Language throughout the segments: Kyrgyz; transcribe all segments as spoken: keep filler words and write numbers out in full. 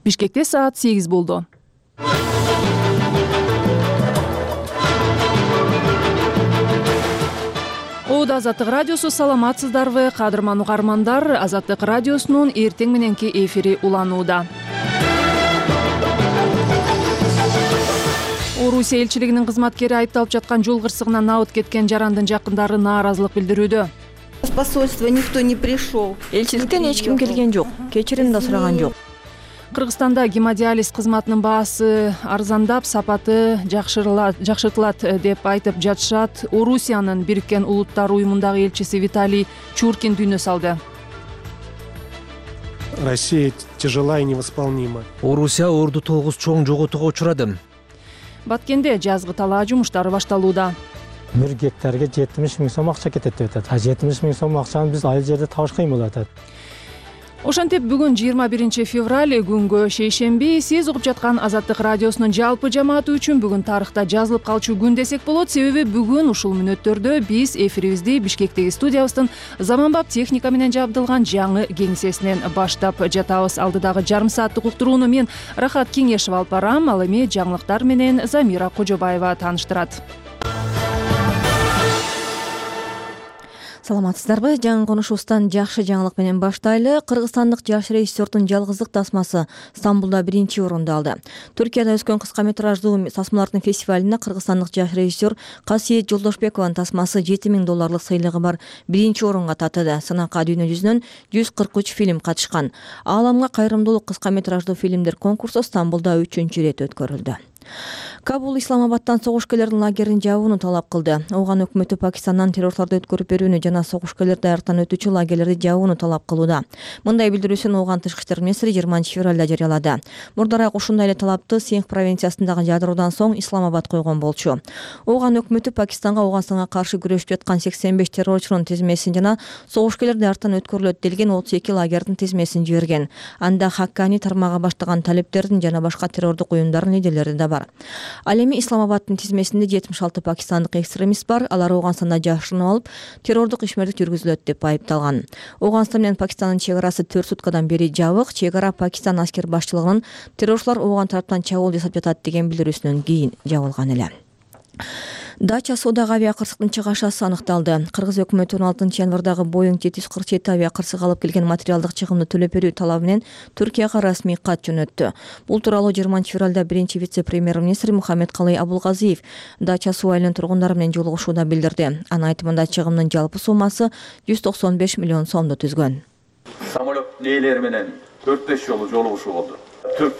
Бишкекте саат сегиз болду. Ода Азаттык радиосу, саламатсыздарбы кадырман угармандар. Азаттык радиосунун эртең мененки эфири уланууда. Орусия элчилигинин кызматкери айыпталып жаткан жол кырсыгынан абыт кеткен жарандын жакындары нааразылык билдирүүдө. С посольства никто не пришел. Элчиликтен эч ким келген жок, кечирим да сураган жок. Кыргызстанда гемодиализ кызматынын баасы арзандап, сапаты жакшыртылат деп айтып жатышат. Орусиянын Бириккен Улуттар уюмундагы элчиси Виталий Чуркин дүйнө салды. Россия тяжела и невосполнима. Орусия орду тогуз чоң жоготууга учурады. Баткенде жазгы талаа жумуштары башталууда. Бир гектарга жетимиш миң сом акча кетет деп атат. А жетимиш миң сом акчаны биз айыл жерде табыш кыйын болуп атат. Ошентип бүгүн жыйырма биринчи февраль күнгө шейшемби. Сиз угуп жаткан Азаттык радиосунун жалпы жамааты үчүн бүгүн тарыхта жазылып калчу күн десек болот. Себеби бүгүн ушул мүнөттөрдө биз эфирибизди Бишкектеги студиябыздын заманбап техника менен жабдылган жаңы кеңсесинен баштап жатабыз. Алдыдагы жарым сааттык уктурууну мен Рахат Кеңешова алып барам. Ал эми жаңылыктар менен Замира Кожобаева тааныштырат. Саламатсыздарбы? Жаңы конушубуздан жакшы жаңылык менен баштайлы. Кыргызстандык жаш режиссердун жалгыздык тасмасы Стамбулда биринчи орунду алды. Түркияда өскөн кыска метраждуу тасмалардын фестивалине кыргызстандык жаш режиссер Касиет Жолдошбекованын тасмасы жети миң долларлык сыйлыгы бар биринчи орунга татыды. Сынакка дүйнө жүзүнөн жүз кырк үч фильм катышкан. Ааламга кайрымдуулук кыска метраждуу фильмдер конкурсу Стамбулда үчүнчү ирет өткөрүлдү. Кабул Исламабадтан согушкерлердин лагерин жабууну талап кылды. Ооган өкмөтү Пакистандан террорлорду өткөрүп берүүнү жана согушкерлер даярдыктан өтүүчү лагерлерди жабууну талап кылууда. Мындай билдирүүсүн Ооган тышкы иштер министри жыйырманчы февралда жарыялады. Мурдараак ушундай эле талапты Синг провинциясындагы ядроодон соң Исламабад койгон болчу. Ооган өкмөтү Пакистанга Ооганстанга каршы күрөшүп жаткан сексен беш террорчунун тизмесин жана согушкерлер даярдыктан өткөрүлөт делген отуз эки лагердин тизмесин жиберген. Анда Хаккани тармагы баштаган талептердин жана башка террордук уюмдардын лидерлери да бар. Ал эми Исламабадтын тизмесинде жетимиш алты пакистандык экстремист бар. Алар Ооганстанда жашырынып алып, террордук ишмердик жүргүзүлөт деп айыпталган. Ооганстан менен Пакистандын чек арасы төрт суткадан бери жабык. Чек ара Пакистан аскер башчылыгынын террорчулар Ооган тараптан чабуул жасап жатат деген билдирүүсүнөн кийин жабылган эле. Дача Соодагы авиакырсыктын чыгашасы аныкталды. Кыргыз өкмөтү он алтынчы январдагы Боинг жети жүз кырк жети авиакырсыгы алып келген материалдык чыгымды төлөп берүү талабы менен Түркияга расмий кат жөнөттү. Бул тууралуу жыйырманчы февралда биринчи вице-премьер-министр Мухаммедкалый Абулгазиев Дача суу айылынын тургундары менен жолугушууда билдирди. Анын айтымында чыгымдын жалпы суммасы жүз токсон беш миллион сомду түзгөн. Самолет ээлери менен төрт беш жолу жолугушуу болду. Түрк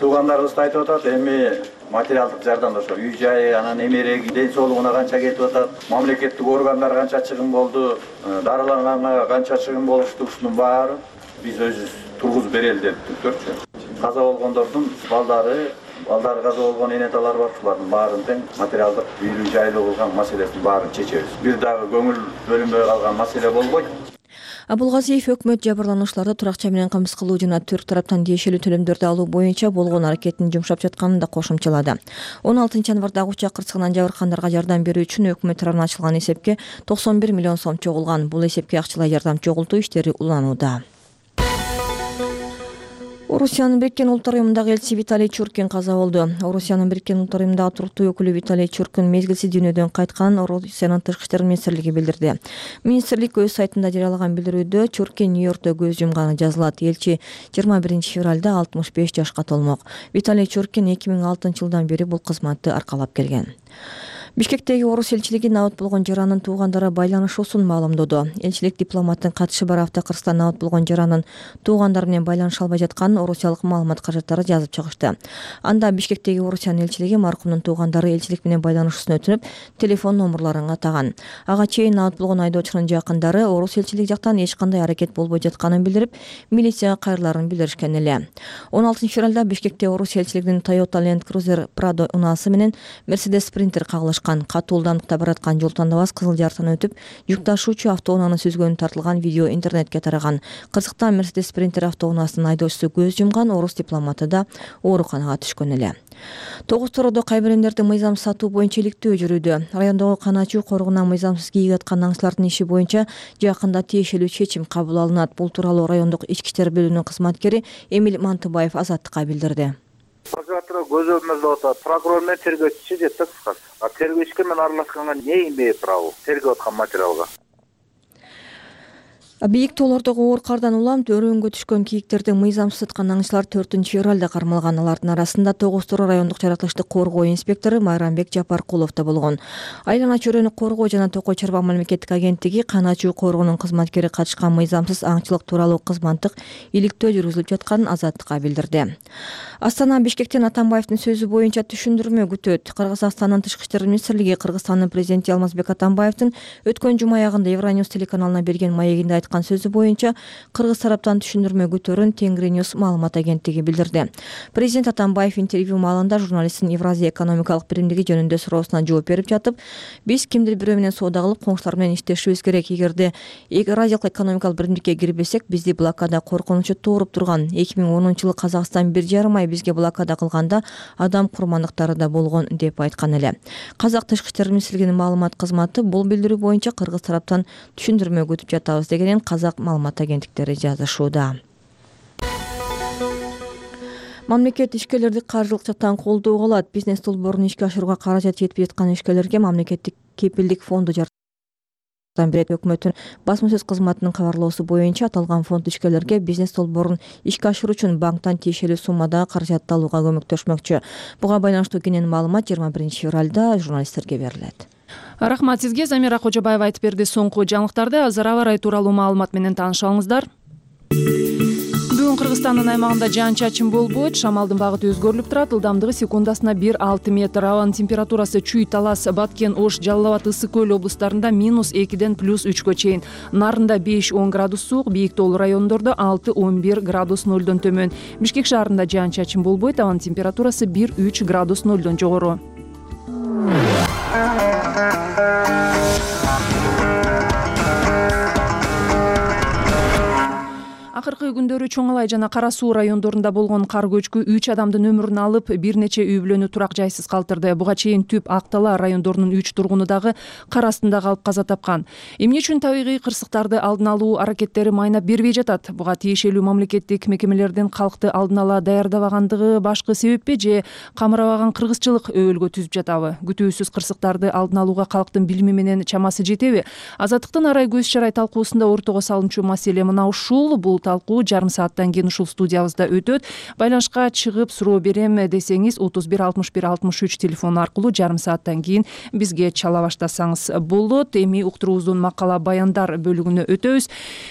туугандарыбыз айтып атат, эми материалдык жардам ошо үй жайы, анан эмереги, ден соолугуна канча кетип атат, мамлекеттик органдар канча чыгым болду, дарыланганга канча чыгым болушту, ушунун баары биз өзүбүз тургузуп берели деп түрктөрчү. Каза болгондордун балдары, балдары каза болгон энеталар бар, ушулардын баарын тең материалдык үйлүү жайлуу кылган маселесин баарын чечебиз. Бир дагы көңүл бөлүнбөй калган маселе болбойт. Абулгазиев өкмөт жабырлануучуларды туракча менен камсыз кылуу жана түрк тараптан тиешелүү төлөмдөрдү алуу боюнча болгон аракетин жумшап жатканын да кошумчалады. он алтынчы январдагы учак кырсыгынан жабыркагандарга жардам берүү үчүн өкмөт тарабынан ачылган эсепке токсон бир миллион сом чогулган. Бул эсепке акчалай жардам чогултуу иштери уланууда. Орусиянын Бириккен Улуттар уюмундагы элчиси Виталий Чуркин каза болду. Орусиянын Бириккен Улуттар уюмундагы туруктуу өкүлү Виталий Чуркин мезгилсиз дүйнөдөн кайтканын Орусиянын тышкы иштер министрлиги билдирди. Министрлик өз сайтында жарыялаган билдирүүдө Чуркин Нью-Йоркто көз жумганы жазылат. Элчи жыйырма биринчи февралда алтымыш беш жашка толмок. Виталий Чуркин эки миң алтынчы жылдан бери бул кызматты аркалап келген. Бишкектеги орус элчилиги абыт болгон жарандын туугандары байланышуусун маалымдоду. Элчилик дипломаттын катышы бар авто Кыргызстан абыт болгон жарандын туугандары менен байланыша албай жатканын орусиялык маалымат каражаттары жазып чыгышты. Анда Бишкектеги Орусиянын элчилиги маркумдун туугандары элчилик менен байланышуусун өтүнүп, телефон номерларын каттаган. Ага чейин абыт болгон айдоочунун жакындары орус элчилиги жактан эч кандай аракет болбой жатканын билдирип, милицияга кайрыларын билдиришкен эле. он алтынчы февралда Бишкекте орус элчилигинин Toyota Land Cruiser Prado унаасы менен Mercedes Sprinter кагылышкан. катышкан. Катуу ылдамдыкта бараткан жол тандабас кызыл жарыктан өтүп, жүк ташуучу автоунааны сүзгөнү тартылган видео интернетке тараган. Кырсыкта Mercedes Sprinter автоунаасынын айдоочусу көз жумган, орус дипломаты да ооруканага түшкөн эле. Тогуз Тородо кайбирендерди мыйзамсыз сатуу боюнча иликтөө жүрүүдө. Райондогу каначуу коргунан мыйзамсыз кийик аткан аңчылардын иши боюнча жакында тиешелүү чечим кабыл алынат. Бул тууралуу райондук ички иштер бөлүмүнүн кызматкери Эмил Мантыбаев Азаттыкка билдирди. Прокуратура көзөмөлдөп атат. Прокурор менен тергөөчү жет да кыскасы. А тергөөчү менен аралашканга эмне имеет право тергөө аткан материалга? Бийик тоолордогу оор кардан улам өрөөнгө түшкөн кийиктерди мыйзамсыз саткан аңчылар төртүнчү февралда кармалган. Алардын арасында Тогуз Тороо райондук жаратылыштык коргоо инспектору Майрамбек Жапаркулов да болгон. Айлана чөйрөнү коргоо жана Токой чарба мамлекеттик агенттиги каначуу коргоонун кызматкери катышкан мыйзамсыз аңчылык тууралуу кызматтык иликтөө жүргүзүлүп жатканын Азаттыкка билдирди. Астана Бишкектен Атамбаевдин сөзү боюнча түшүндүрмө күтөт. Кыргызстандын тышкы иштер министрлиги Кыргызстандын президенти Алмазбек Атамбаевдин өткөн жума аягында Евроньюс телеканалына берген маегинде айткан сөзү боюнча кыргыз тараптан түшүндүрмө күтөрүн Тенгриньюс маалымат агенттиги билдирди. Президент Атамбаев интервью маалында журналисттин Евразия экономикалык биримдиги жөнүндө суроосуна жооп берип жатып, биз кимдир бирөө менен соода кылып, коңшулар менен иштешибиз керек. Эгерде Евразиялык экономикалык биримдикке кирбесек, бизди блокада коркунучу тууруп турган. эки миң онунчу жылы Казакстан бир жарым ай бизге блокада кылганда адам курмандыктары да болгон деп айткан эле. Казак тышкы иштер министрлигинин маалымат кызматы бул билдирүү боюнча кыргыз тараптан түшүндүрмө күтүп жатабыз дегенин Казак маалымат агенттиктери жазышууда. Мамлекет ишкерлерди каржылык жактан колдоого алат. Бизнес долбоорун ишке ашырууга каражат жетпей жаткан ишкерлерге мамлекеттик кепилдик фонду жардам берет. Өкмөттүн басма-сөз кызматынын кабарлоосу боюнча аталган фонд ишкерлерге бизнес долбоорун ишке ашыруу үчүн банктан тиешелүү суммада каражатты алууга көмөктөшмөкчү. Буга байланыштуу кенен маалымат жыйырма биринчи февралда журналисттерге берилет. Рахмат сизге. Замира Кожобаева айтып берди. Соңку жаңылыктарды азыр аба ырайы тууралуу маалымат менен тааныша алыңыздар. Бүгүн Кыргызстандын аймагында жаан-чачын болбойт, шамалдын багыты өзгөрүлүп турат, ылдамдыгы секундасына бир алты метр. Абанын температурасы Чүй, Талас, Баткен, Ош, Жалал Абад, Ысык көл облустарында минус экиден плюс үчкө чейин. Нарында беш он градус суук, бийик тоолуу райондордо алты он бир градус нөлдөн төмөн. Бишкек шаарында жаан-чачын болбойт, абанын температурасы бир үч градус нөлдөн жогору. Акыркы күндөрү Чоң Алай жана Кара Суу райондорунда болгон кар көчкү үч адамдын өмүрүн алып, бир нече үй бүлөнү турак жайсыз калтырды. Буга чейин Түп, Актала райондорунун үч тургуну дагы кар астында калып каза тапкан. Эмне үчүн табигый кырсыктарды алдын алуу аракеттери майнап бербей жатат? Буга тиешелүү мамлекеттик мекемелердин калкты алдын ала даярдабагандыгы башкы себеппи же камырабаган кыргызчылык өбөлгө түзүп жатабы? Күтүүсүз кырсыктарды алдын алууга калктын билими менен чамасы жетеби? Азаттыктын арай көз чарай талкуусунда ортого салынчу маселе мына ушул. Бул талкуу жарым сааттан кийин ушул студиябызда өтөт. Байланышка чыгып суроо берем десеңиз отуз бир алтымыш бир алтымыш үч телефону аркылуу жарым сааттан кийин бизге чала баштасаңыз болот. Эми уктуруубуздун макала баяндар бөлүгүнө өтөбүз.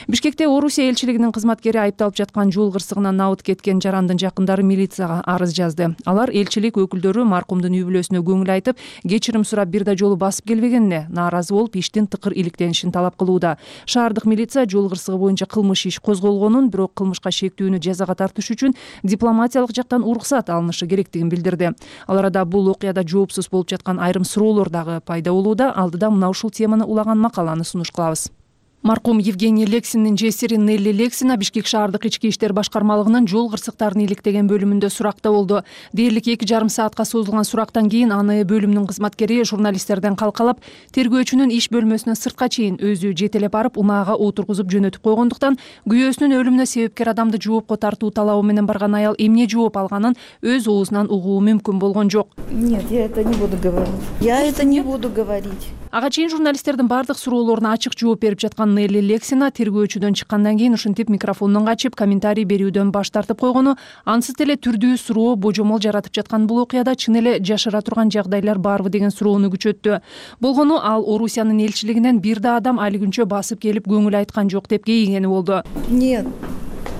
Бишкекте Орусия элчилигинин кызматкери айыпталып жаткан жол кырсыгынан абыт кеткен жарандын жакындары милицияга арыз жазды. Алар элчилик өкүлдөрү маркумдун үй бүлөсүнө көңүл айтып, кечирим сурап бир да жолу басып келбегенине нааразы болуп, иштин тыкыр иликтенишин талап кылууда. Шаардык милиция жол кырсыгы боюнча кылмыш иш козголгонун, бирок кылмышка шектүүнү жазага тартыш үчүн дипломатиялык жактан уруксат алынышы керектигин билдирди. Ал арада бул окуяда жоопсуз болуп жаткан айрым суроолор дагы пайда болууда. Алдыда мына ушул теманы улаган макаланы сунуш кылабыз. Маркум Евгений Лексиндин жесири Нелли Лексина Бишкек шаардык ички иштер башкармалыгынын жол кырсыктарын иликтеген бөлүмүндө суракта болду. Дээрлик эки жарым саатка созулган сурактан кийин аны бөлүмүнүн кызматкери журналисттерден калкалап, тергөөчүнүн иш бөлмөсүнөн сыртка чейин өзү жетелеп барып, унаага отургузуп жөнөтүп койгондуктан күйөөсүнүн өлүмүнө себепкер адамды жоопко тартуу талабы менен барган аял эмне жооп алганын өз оозунан угуу мүмкүн болгон жок. Нет, я это не буду говорить. Я это не буду говорить. Ага чейин журналисттердин бардык суроолоруна ачык жооп берип жаткан Нелли Лексина тергөөчүдөн чыккандан кийин ушинтип микрофондон качып, комментарий берүүдөн баш тартып койгону, ансыз эле түрдүү суроо божомол жаратып жаткан бул окуяда чын эле жашыра турган жагдайлар барбы деген суроону күчөттү. Болгону ал Орусиянын элчилигинен бир да адам али күнчө басып келип көңүл айткан жок деп кейигени болду. Нет.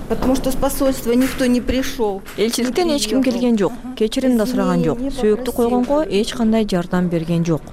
Потому что с посольства никто не пришел. Элчиликтен эч ким келген жок, кечирим да сураган жок, сөөктү койгонго эч кандай жардам берген жок.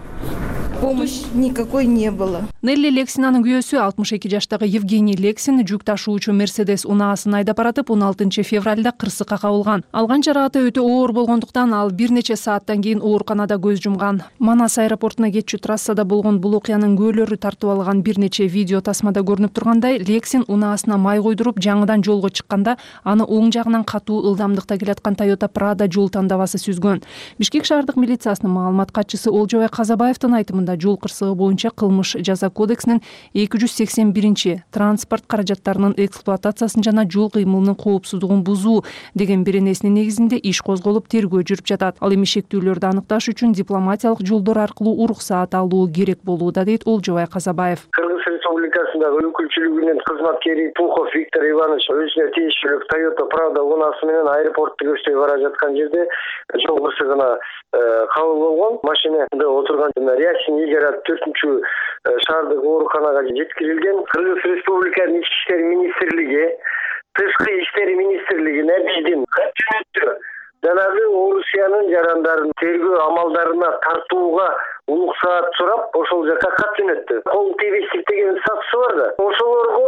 помощи никакой не было. Нелли Лексинанын күйөөсү алтымыш эки жаштагы Евгений Лексин жүк ташуучу Мерседес унаасын айдап баратып он алтынчы февралда кырсыкка кабылган. Алган жаракаты өтө оор болгондуктан ал бир нече сааттан кийин ооруканада көз жумган. Манас аэропортуна кетчү трассада болгон бул окуянын күбөлөрү тартып алган бир нече видео тасмада көрүнүп тургандай, Лексин унаасына май койдуруп жаңыдан жолго чыкканда аны оң жагынан катуу ылдамдыкта келаткан Toyota Prado жол тандабасы сүзгөн. Бишкек шаардык милициясынын маалымат катчысы Олжобай Казабаевдин айтымында жол кырсыгы боюнча кылмыш жаза кодексинин эки жүз сексен биринчи транспорт каражаттарынын эксплуатациясын жана жол кыймылынын коопсуздугун бузуу деген беренесинин негизинде иш козголуп тергөө жүрүп жатат. Ал эми шектүүлөрдү аныкташ үчүн дипломатиялык жолдор аркылуу уруксаат алуу керек болууда, дейт Олжобай Казабаев. Кыргыз Республикасындагы өкүлчүлүгүнүн кызматкери Пухов Виктор Иванович өзүнө тиешелүү Toyota Prado унаасы менен аэропортто көчтөй бара жаткан жерде жол кырсыгына кабыл болгон. Машинада отурган Рясин Игорь төртүнчү шаардык ооруканага жеткирилген. Кыргыз Республикасынын ички иштер министрлиги, тышкы иштер министрлигине биздин кат жөнөттү. Жанагы Орусиянын жарандарын тергөө амалдарына тартууга уруксаат сурап, ошол жака кат жөнөттү. Кол тийбестик деген статусу бар да. Ошолорго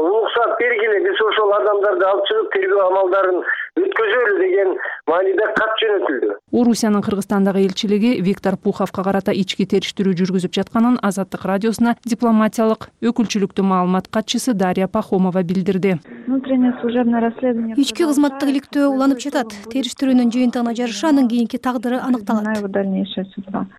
уруксаат бергиле, биз ошол адамдарды алып чыгып тергөө амалдарын өткөзөлү деген мааниде кат жөнөтүлдү. Орусиянын Кыргызстандагы элчилиги Виктор Пуховго карата ички териштирүү жүргүзүп жатканын Азаттык радиосуна дипломатиялык өкүлчүлүктүн маалымат катчысы Дарья Пахомова билдирди. Внутреннее служебное расследование. Ички кызматтык иликтөө уланып жатат. Териштирүүнүн жыйынтыгына жараша анын кийинки тагдыры аныкталат.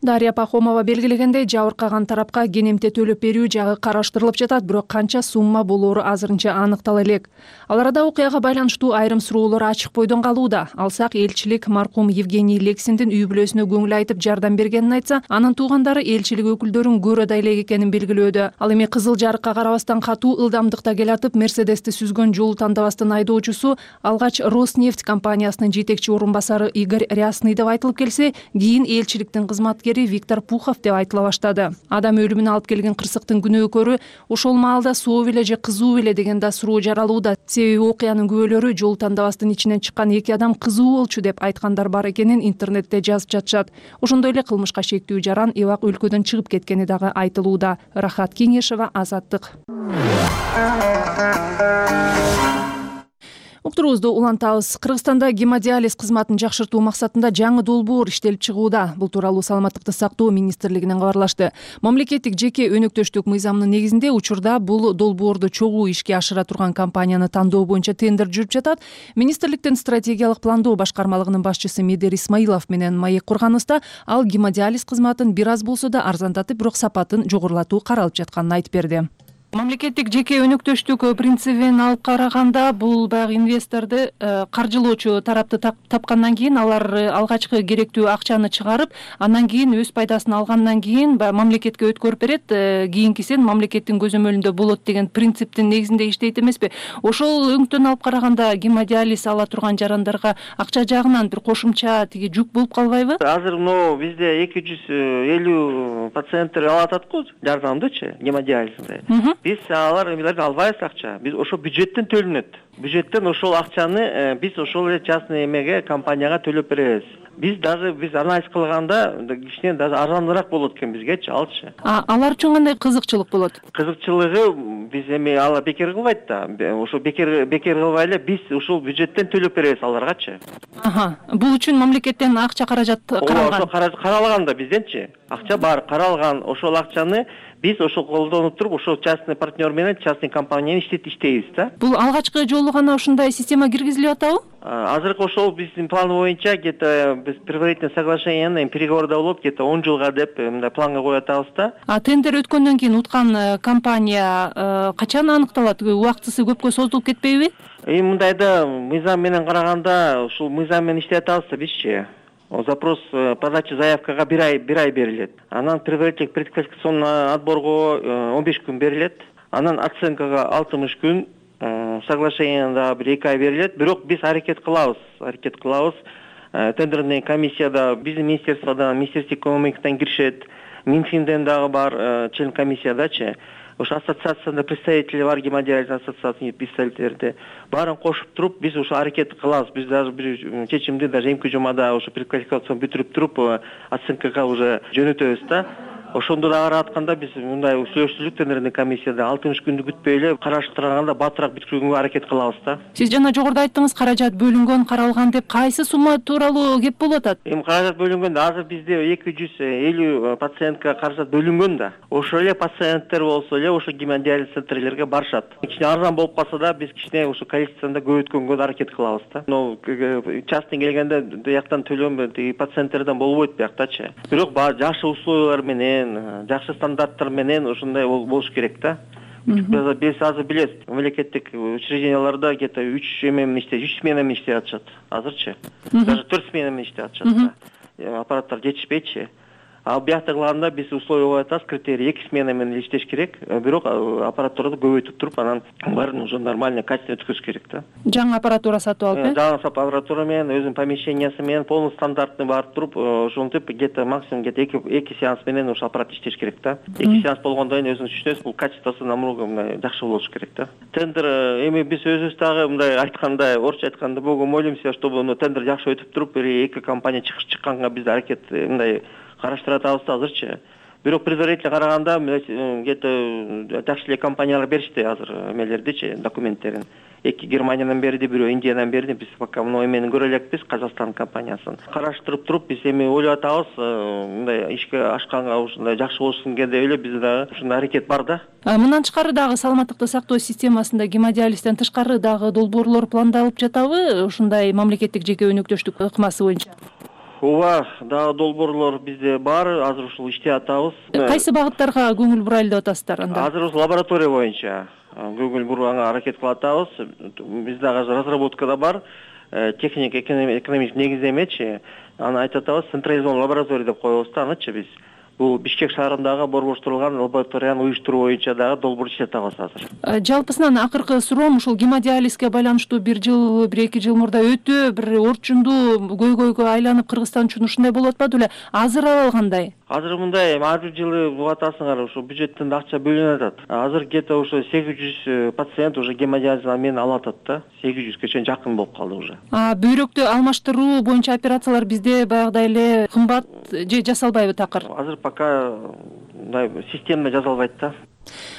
Дарья Пахомова белгилегендей, жабыркаган тарапка кенемте төлөп берүү жагы караштырылып жатат, бирок канча сумма болоору азырынча аныктала элек. Ал арада окуяга байланыштуу айрым суроолор ачык бойдон калууда. Алсак, элчилик маркум Евгений Лексиндин үй бүлөсүнө көңүл айтып жардам бергенин айтса, анын туугандары элчилик өкүлдөрүн көрөдөй элек экенин белгилөөдө. Ал эми кызыл жарыкка карабастан катуу ылдамдыкта келатып Мерседести сүзгөн жол тандабастын айдоочусу алгач Роснефть компаниясынын жетекчи орун басары Игорь Рясный деп айтылып келсе, кийин элчиликтин кызматкери Виктор Пухов деп айтыла баштады. Адам өлүмүнө алып келген кырсыктын күнөөкөрү ошол маалда соо беле же кызуу беле деген да суроо жаралууда. Себеби окуянын күбөлөрү жол тандабастын ичинен чыккан эки адам кызуу болчу деп айткандар бар экенин интернетте жазып жатышат. Ошондой эле кылмышка шектүү жаран эбак өлкөдөн чыгып кеткени дагы айтылууда. Рахат Кеңешева, Азаттык. Уктуруубузду улантабыз. Кыргызстанда гемодиализ кызматын жакшыртуу максатында жаңы долбоор иштелип чыгууда. Бул тууралуу Саламаттыкты сактоо министрлигинен кабарлашты. Мамлекеттик жеке өнөктөштүк мыйзамынын негизинде учурда бул долбоорду чогуу ишке ашыра турган компанияны тандоо боюнча тендер жүрүп жатат. Министрликтин стратегиялык пландоо башкармалыгынын башчысы Медер Исмаилов менен маек курганыбызда ал гемодиализ кызматын бир аз болсо да арзандатып, бирок сапатын жогорулатуу каралып жатканын айтып берди. Мамлекеттик жеке өнөктөштүк принцибин алып караганда, бул баягы инвесторду каржылоочу тарапты тапкандан кийин алар алгачкы керектүү акчаны чыгарып, андан кийин өз пайдасын алгандан кийин мамлекетке өткөрүп берет, кийинкисин мамлекеттин көзөмөлүндө болот деген принциптин негизинде иштейт эмеспи? Ошол өңүттөн алып караганда гемодиализ ала турган жарандарга акча жагынан бир кошумча тиги жүк болуп калбайбы? Азыр мына бизде эки жүз элүү пациенттер алып атат го жардамдычы, гемодиализди. Биз аларды албайбыз акча. Биз ошо бюджеттен төлөнөт. Бюджеттен ошол акчаны биз ошол эле частный эмеге, компанияга төлөп беребиз. Биз даже биз анализ кылганда кичине даже арзаныраак болот экен бизгечи, алчы. А алар үчүн кандай кызыкчылык болот? Кызыкчылыгы биз эми ала бекер кылбайт да. Ошо бекер бекер кылбай эле биз ушул бюджеттен төлөп беребиз аларгачы. Аха. Бул үчүн мамлекеттен акча каражат каралган. Ошо каралган да бизденчи. Акча бар, каралган. Ошол акчаны биз ошол колдонуп туруп, ошол частный партнер менен, частный компания менен иштейбиз да. Бул алгачкы жолу гана ушундай система киргизилип атабы? Азыркы ошол биздин план боюнча где-то биз предварительный соглашение переговорда болуп, где-то он жылга деп мындай планга коюп атабыз да. А тендер өткөндөн кийин уткан компания качан аныкталат? Убактысы көпкө созулуп кетпейби? Эми мындайда мыйзам менен караганда, ушул мыйзам менен иштеп атабыз да бизчи. Запрос подачи заявкага бир ай бир ай берилет. Анан предварительный предквалификационный отборго он беш күн берилет. Анан оценкага алтымыш күн, соглашениеда бир эки ай берилет. Бирок биз аракет кылабыз, аракет кылабыз. Тендерный комиссияда биздин министерстводан, министерство экономикадан киришет, Минфинден дагы бар член комиссиядачы. Ошо ассоциацияда представители бар, гемодиализ ассоциациясынын представительдери баарын кошуп туруп, биз ошо аракет кылабыз. Биз даже бир чечимди даже эмки жумада ошо предквалификацияны бүтүрүп туруп, оценкага уже жөнөтөбүз да. ошондо да каратканда биз мындай сүйлөшүүлүк тендерный комиссияда алтымыш күндү күтпөй эле караштырганда батыраак биткүнгө аракет кылабыз да. Сиз жана жогоруда айттыңыз, каражат бөлүнгөн, каралган деп. Кайсы сумма тууралуу кеп болуп атат? Эми каражат бөлүнгөн, азыр бизде эки жүз элүү пациентке каражат бөлүнгөн да. Ошол эле пациенттер болсо эле ошо гемодиализ центрлерге барышат. Кичине арзан болуп калса да, биз кичине ошо количествону көбөйткөнгө аракет кылабыз да. Но частный келгенде бияктан төлөм тиги пациенттерден болбойт бияктачы. Бирок жакшы условиялар менен, жакшы стандарттар менен ошондой болуш керек да. Биз азыр билесиз, мамлекеттик учрежденияларда где-то үч эме менен иштейт, үч смена менен иштеп атышат азырчы. Даже төрт смена менен иштеп атышат да. Аппараттар жетишпейчи. Ал биякта кылганда биз условия коюп атабыз, критерий эки смена менен иштеш керек. Бирок аппаратураны көбөйтүп туруп, анан баарын уже нормально, качественно өткөзүш керек да. Жаңы аппаратура сатып алып, э? Жаңы аппаратура менен, өзүнүн помещениясы менен, полный стандартны барып туруп, ошентип где-то максимум где-то эки эки сеанс менен ошо аппарат иштеш керек да. эки сеанс болгондон кийин өзүңүз түшүнөсүз, бул качествосу намного жакшы болуш керек да. Тендер эми биз өзүбүз дагы мындай айтканда, орусча айтканда, богу молимся, чтобы тендер жакшы өтүп туруп, бир эки компания чыкканга биз аракет мындай караштырып атабыз азырчы. Бирок предварительно караганда где-то жакшы эле компаниялар беришти азыр эмелердичи, документтерин. Эки Германиядан берди, бирөө Индиядан берди. Биз пока мына эмени көрө элекпиз, Казакстан компаниясын. Караштырып туруп, биз эми ойлоп атабыз, мындай ишке ашканга ушундай жакшы болушун деп эле биз дагы ушундай аракет бар да. Мындан тышкары дагы саламаттыкты сактоо системасында гемодиализден тышкары дагы долбоорлор пландалып жатабы? Ушундай мамлекеттик жеке өнөктөштүк ыкмасы боюнча. Ооба, дагы долбоорлор бизде бар, азыр ушул иштеп атабыз. Кайсы багыттарга көңүл бурайлы деп атасыздар анда? Азыр ушул лаборатория боюнча көңүл бурганга аракет кылып атабыз. Бизде дагы разработкада бар, техник экономик негиздемечи. Аны айтып атабыз, централизованный лаборатория деп коебуз да, анычы биз. Бул Бишкек шаарындагы борбоштурулган лабораторияны уюштуруу боюнча дагы долбоор иштеп атабыз азыр. Жалпысынан акыркы суроом ушул гемодиализге байланыштуу бир жыл, бир эки жыл мурда өтө бир орчундуу көйгөйгө айланып Кыргызстан үчүн ушундай болуп атпады беле? Азыр абал кандай? Азыр мындай, ар бир жылы угуп атасыңар, ошо бюджеттен акча бөлүнүп атат. Азыр где-то ошо сегиз жүз пациент уже гемодиализ менен алып атат да. сегиз жүзгө чейин жакын болуп калды уже. А бөйрөктү алмаштыруу боюнча операциялар бизде баягыдай эле кымбат же жасалбайбы такыр? Азыр пока мындай системно жасалбайт да.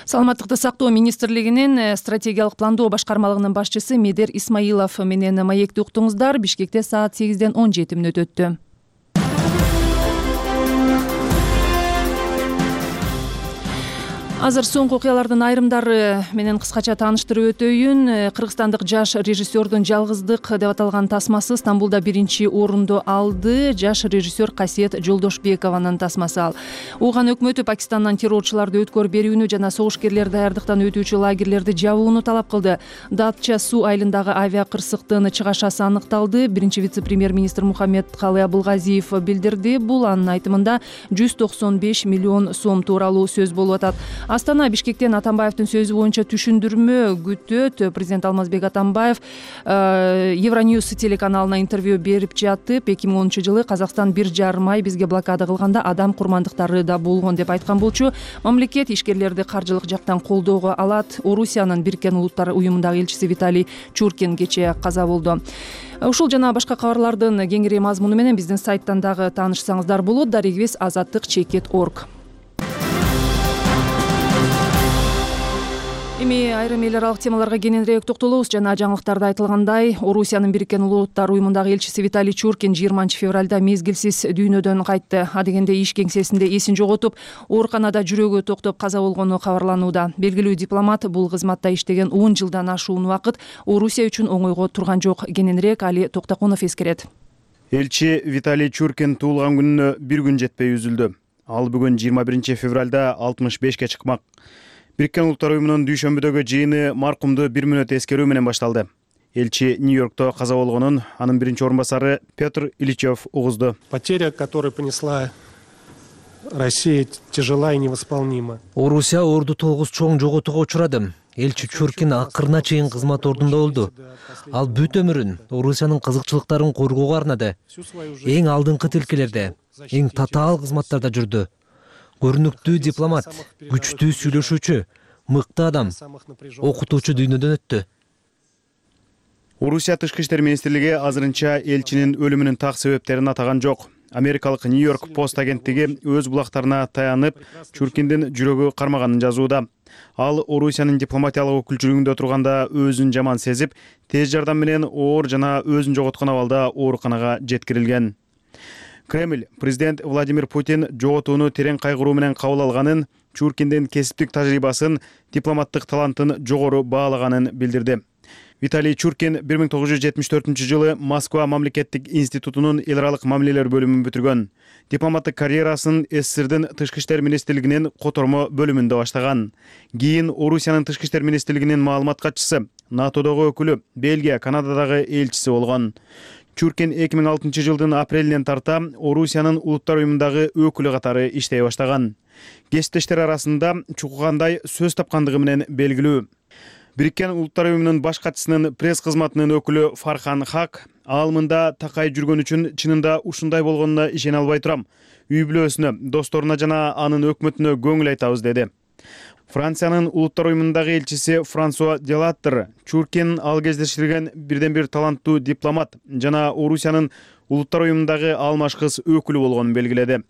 Саламаттыкты сактоо министрлигинин стратегиялык пландоо башкармалыгынын башчысы Медер Исмаилов менен маекти уктуңуздар. Бишкекте саат сегизден он жети мүнөт өттү. Азыр соңку окуялардын айрымдары менен кыскача тааныштырып өтөйүн. Кыргызстандык жаш режиссердун «Жалгыздык» деп аталган тасмасы Стамбулда биринчи орунду алды. Жаш режиссер Касиет Жолдошбекованын тасмасы ал. Ууган өкмөтү Пакистандан террорчуларды өткөр берүүнү жана согушкерлер даярдыктан өтүүчү лагерлерди жабууну талап кылды. Датча суу айылындагы авиа кырсыктын чыгашасы аныкталды. Биринчи вице-премьер-министр Мухаммедкалы Абылгазиев билдирди. Бул анын айтымында жүз токсон беш миллион сом тууралуу сөз болуп атат. Астана Бишкектен Атамбаевдин сөзү боюнча түшүндүрмө күтөт. Президент Алмазбек Атамбаев Евроньюз телеканалына интервью берип жатып, эки миң онунчу жылы Казакстан бир жарым ай бизге блокада кылганда адам курмандыктары да болгон деп айткан болчу. Мамлекет ишкерлерди каржылык жактан колдоого алат. Орусиянын Бириккен Улуттар уюмундагы элчиси Виталий Чуркин кечээ каза болду. Ушул жана башка кабарлардын кеңири мазмуну менен биздин сайттан дагы таанышсаңыздар болот. Дарегибиз азаттык чекит точка орг. Эми айрым эл аралык темаларга кененирээк токтолобуз. Жана жаңылыктарда айтылгандай, Орусиянын Бириккен Улуттар уюмундагы элчиси Виталий Чуркин жыйырманчы февралда мезгилсиз дүйнөдөн кайтты. Адегенде иш кеңсесинде эсин жоготуп, ооруканада жүрөгү токтоп каза болгону кабарланууда. Белгилүү дипломат бул кызматта иштеген он жылдан ашуун убакыт Орусия үчүн оңойго турган жок. Кененирээк Али Токтокунов эскерет. Элчи Виталий Чуркин туулган күнүнө бир күн жетпей үзүлдү. Ал бүгүн жыйырма биринчи февралда алтымыш бешке чыкмак. Бириккен Улуттар уюмунун дүйшөмбүдөгү жыйыны маркумду бир мүнөт эскерүү менен башталды. Элчи Нью-Йоркто каза болгонун анын биринчи орун басары Петр Ильичев угузду. Потеря, которую понесла Россия, тяжела и невосполнима. Орусия орду тогуз чоң жоготууга учурады. Элчи Чуркин акырына чейин кызмат ордунда болду. Ал бүт өмүрүн Орусиянын кызыкчылыктарын коргоого арнады. Эң алдыңкы тилкелерде, эң татаал кызматтарда жүрдү. Көрүнүктүү дипломат, күчтүү сүйлөшүүчү, мыкты адам, окутуучу дүйнөдөн өттү. Орусия тышкы иштер министрлиги азырынча элчинин өлүмүнүн так себептерин атаган жок. Америкалык Нью-Йорk Post агенттиги өз булактарына таянып Чуркиндин жүрөгү кармаганын жазууда. Ал Орусиянын дипломатиялык өкүлчүлүгүндө турганда өзүн жаман сезип, тез жардам менен оор жана өзүн жоготкон абалда ооруканага жеткирилген. Кремль президент Владимир Путин жоготууну терең кайгыруу менен кабыл алганын, Чуркиндин кесиптик тажрыйбасын, дипломаттык талантын жогору баалаганын билдирди. Виталий Чуркин бир миң тогуз жүз жетимиш төртүнчү жылы Москва мамлекеттик институтунун эл аралык мамилелер бөлүмүн бүтүргөн. Дипломаттык карьерасын СССРдин тышкы иштер министрлигинин котормо бөлүмүндө баштаган. Кийин Орусиянын тышкы иштер министрлигинин маалымат катчысы, НАТОдогу өкүлү, Бельгия, Канададагы элчиси болгон. Чуркин эки миң алтынчы жылдын апрелинен тарта Орусиянын улуттар уюмундагы өкүлү катары иштей баштаган. Кесиптештер арасында чукугандай сөз тапкандыгы менен белгилүү. Бириккен Улуттар уюмунун баш катчысынын пресс кызматынын өкүлү Фархан Хак ал мында такай жүргөн үчүн чынында ушундай болгонуна ишене албай турам. Үй бүлөсүнө, досторуна жана анын өкмөтүнө көңүл айтабыз деди. Франциянын Улуттар уюмундагы элчиси Франсуа Делаттер Чуркин ал кездештирген бирден бир таланттуу дипломат жана Орусиянын Улуттар уюмундагы алмашкыс өкүлү болгонун белгиледи.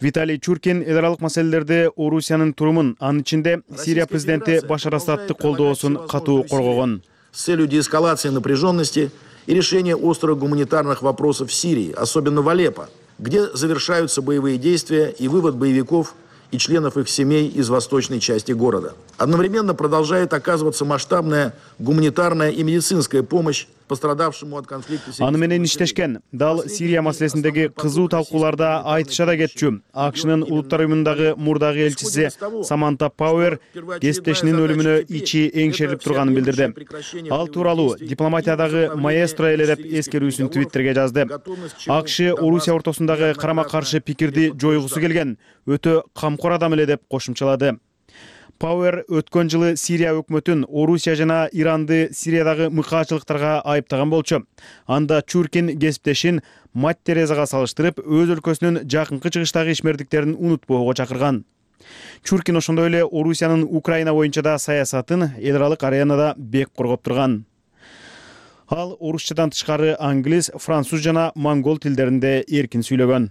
Виталий Чуркин эл аралык маселелерде Орусиянын турумун, анын ичинде Сирия президенти Башар Асадты колдоосун катуу коргогон. С целью деэскалации напряженности и решения острых гуманитарных вопросов в Сирии, особенно в Алеппо, где завершаются боевые действия и вывод боевиков и членов их семей из восточной части города. Одновременно продолжает оказываться масштабная гуманитарная и медицинская помощь пострадавшему от конфликта. Аны менен иштешкен. Дал Сирия маселесиндеги кызуу талкууларда айтыша да кетчү. АКШнын Улуттар уюмундагы мурдагы элчиси Саманта Пауэр кесиптешинин өлүмүнө ичи эңшерип турганын билдирди. Ал тууралуу дипломатиядагы маэстро эле деп эскерүүсүн Твиттерге жазды. АКШ Орусия ортосундагы карама-каршы пикирди жойгусу келген өтө камкор адам эле деп кошумчалады. Пауэр өткөн жылы Сирия өкмөтүн Орусия жана Иранды Сириядагы мыкаачылыктарга айыптаган болчу. Анда Чуркин кесиптешин Мать Терезага салыштырып, өз өлкөсүнүн жакынкы чыгыштагы ишмердиктерин унутпоого чакырган. Чуркин ошондой эле Орусиянын Украина боюнча да саясатын эл аралык аренада бек коргоп турган. Ал орусчадан тышкары англис, француз жана монгол тилдеринде эркин сүйлөгөн.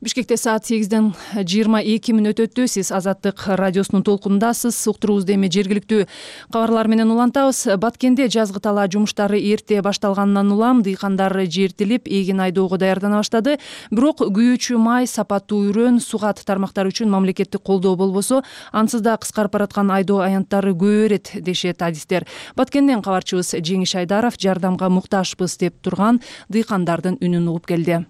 Бишкекте саат сегизден жыйырма эки мүнөт өттү. Сиз Азаттык радиосунун толкунундасыз. Уктуруубузду эми жергиликтүү кабарлар менен улантабыз. Баткенде жазгы талаа жумуштары эрте башталганынан улам дыйкандар жертилип, эгин айдоого даярдана баштады. Бирок күйүүчү май, сапаттуу үрөн, сугат тармактары үчүн мамлекеттик колдоо болбосо, ансыз да кыскарып бараткан айдоо аянттары көбөйө берет, дешет адистер. Баткенден кабарчыбыз Жеңиш Айдаров жардамга муктажбыз деп турган дыйкандардын үнүн угуп келди.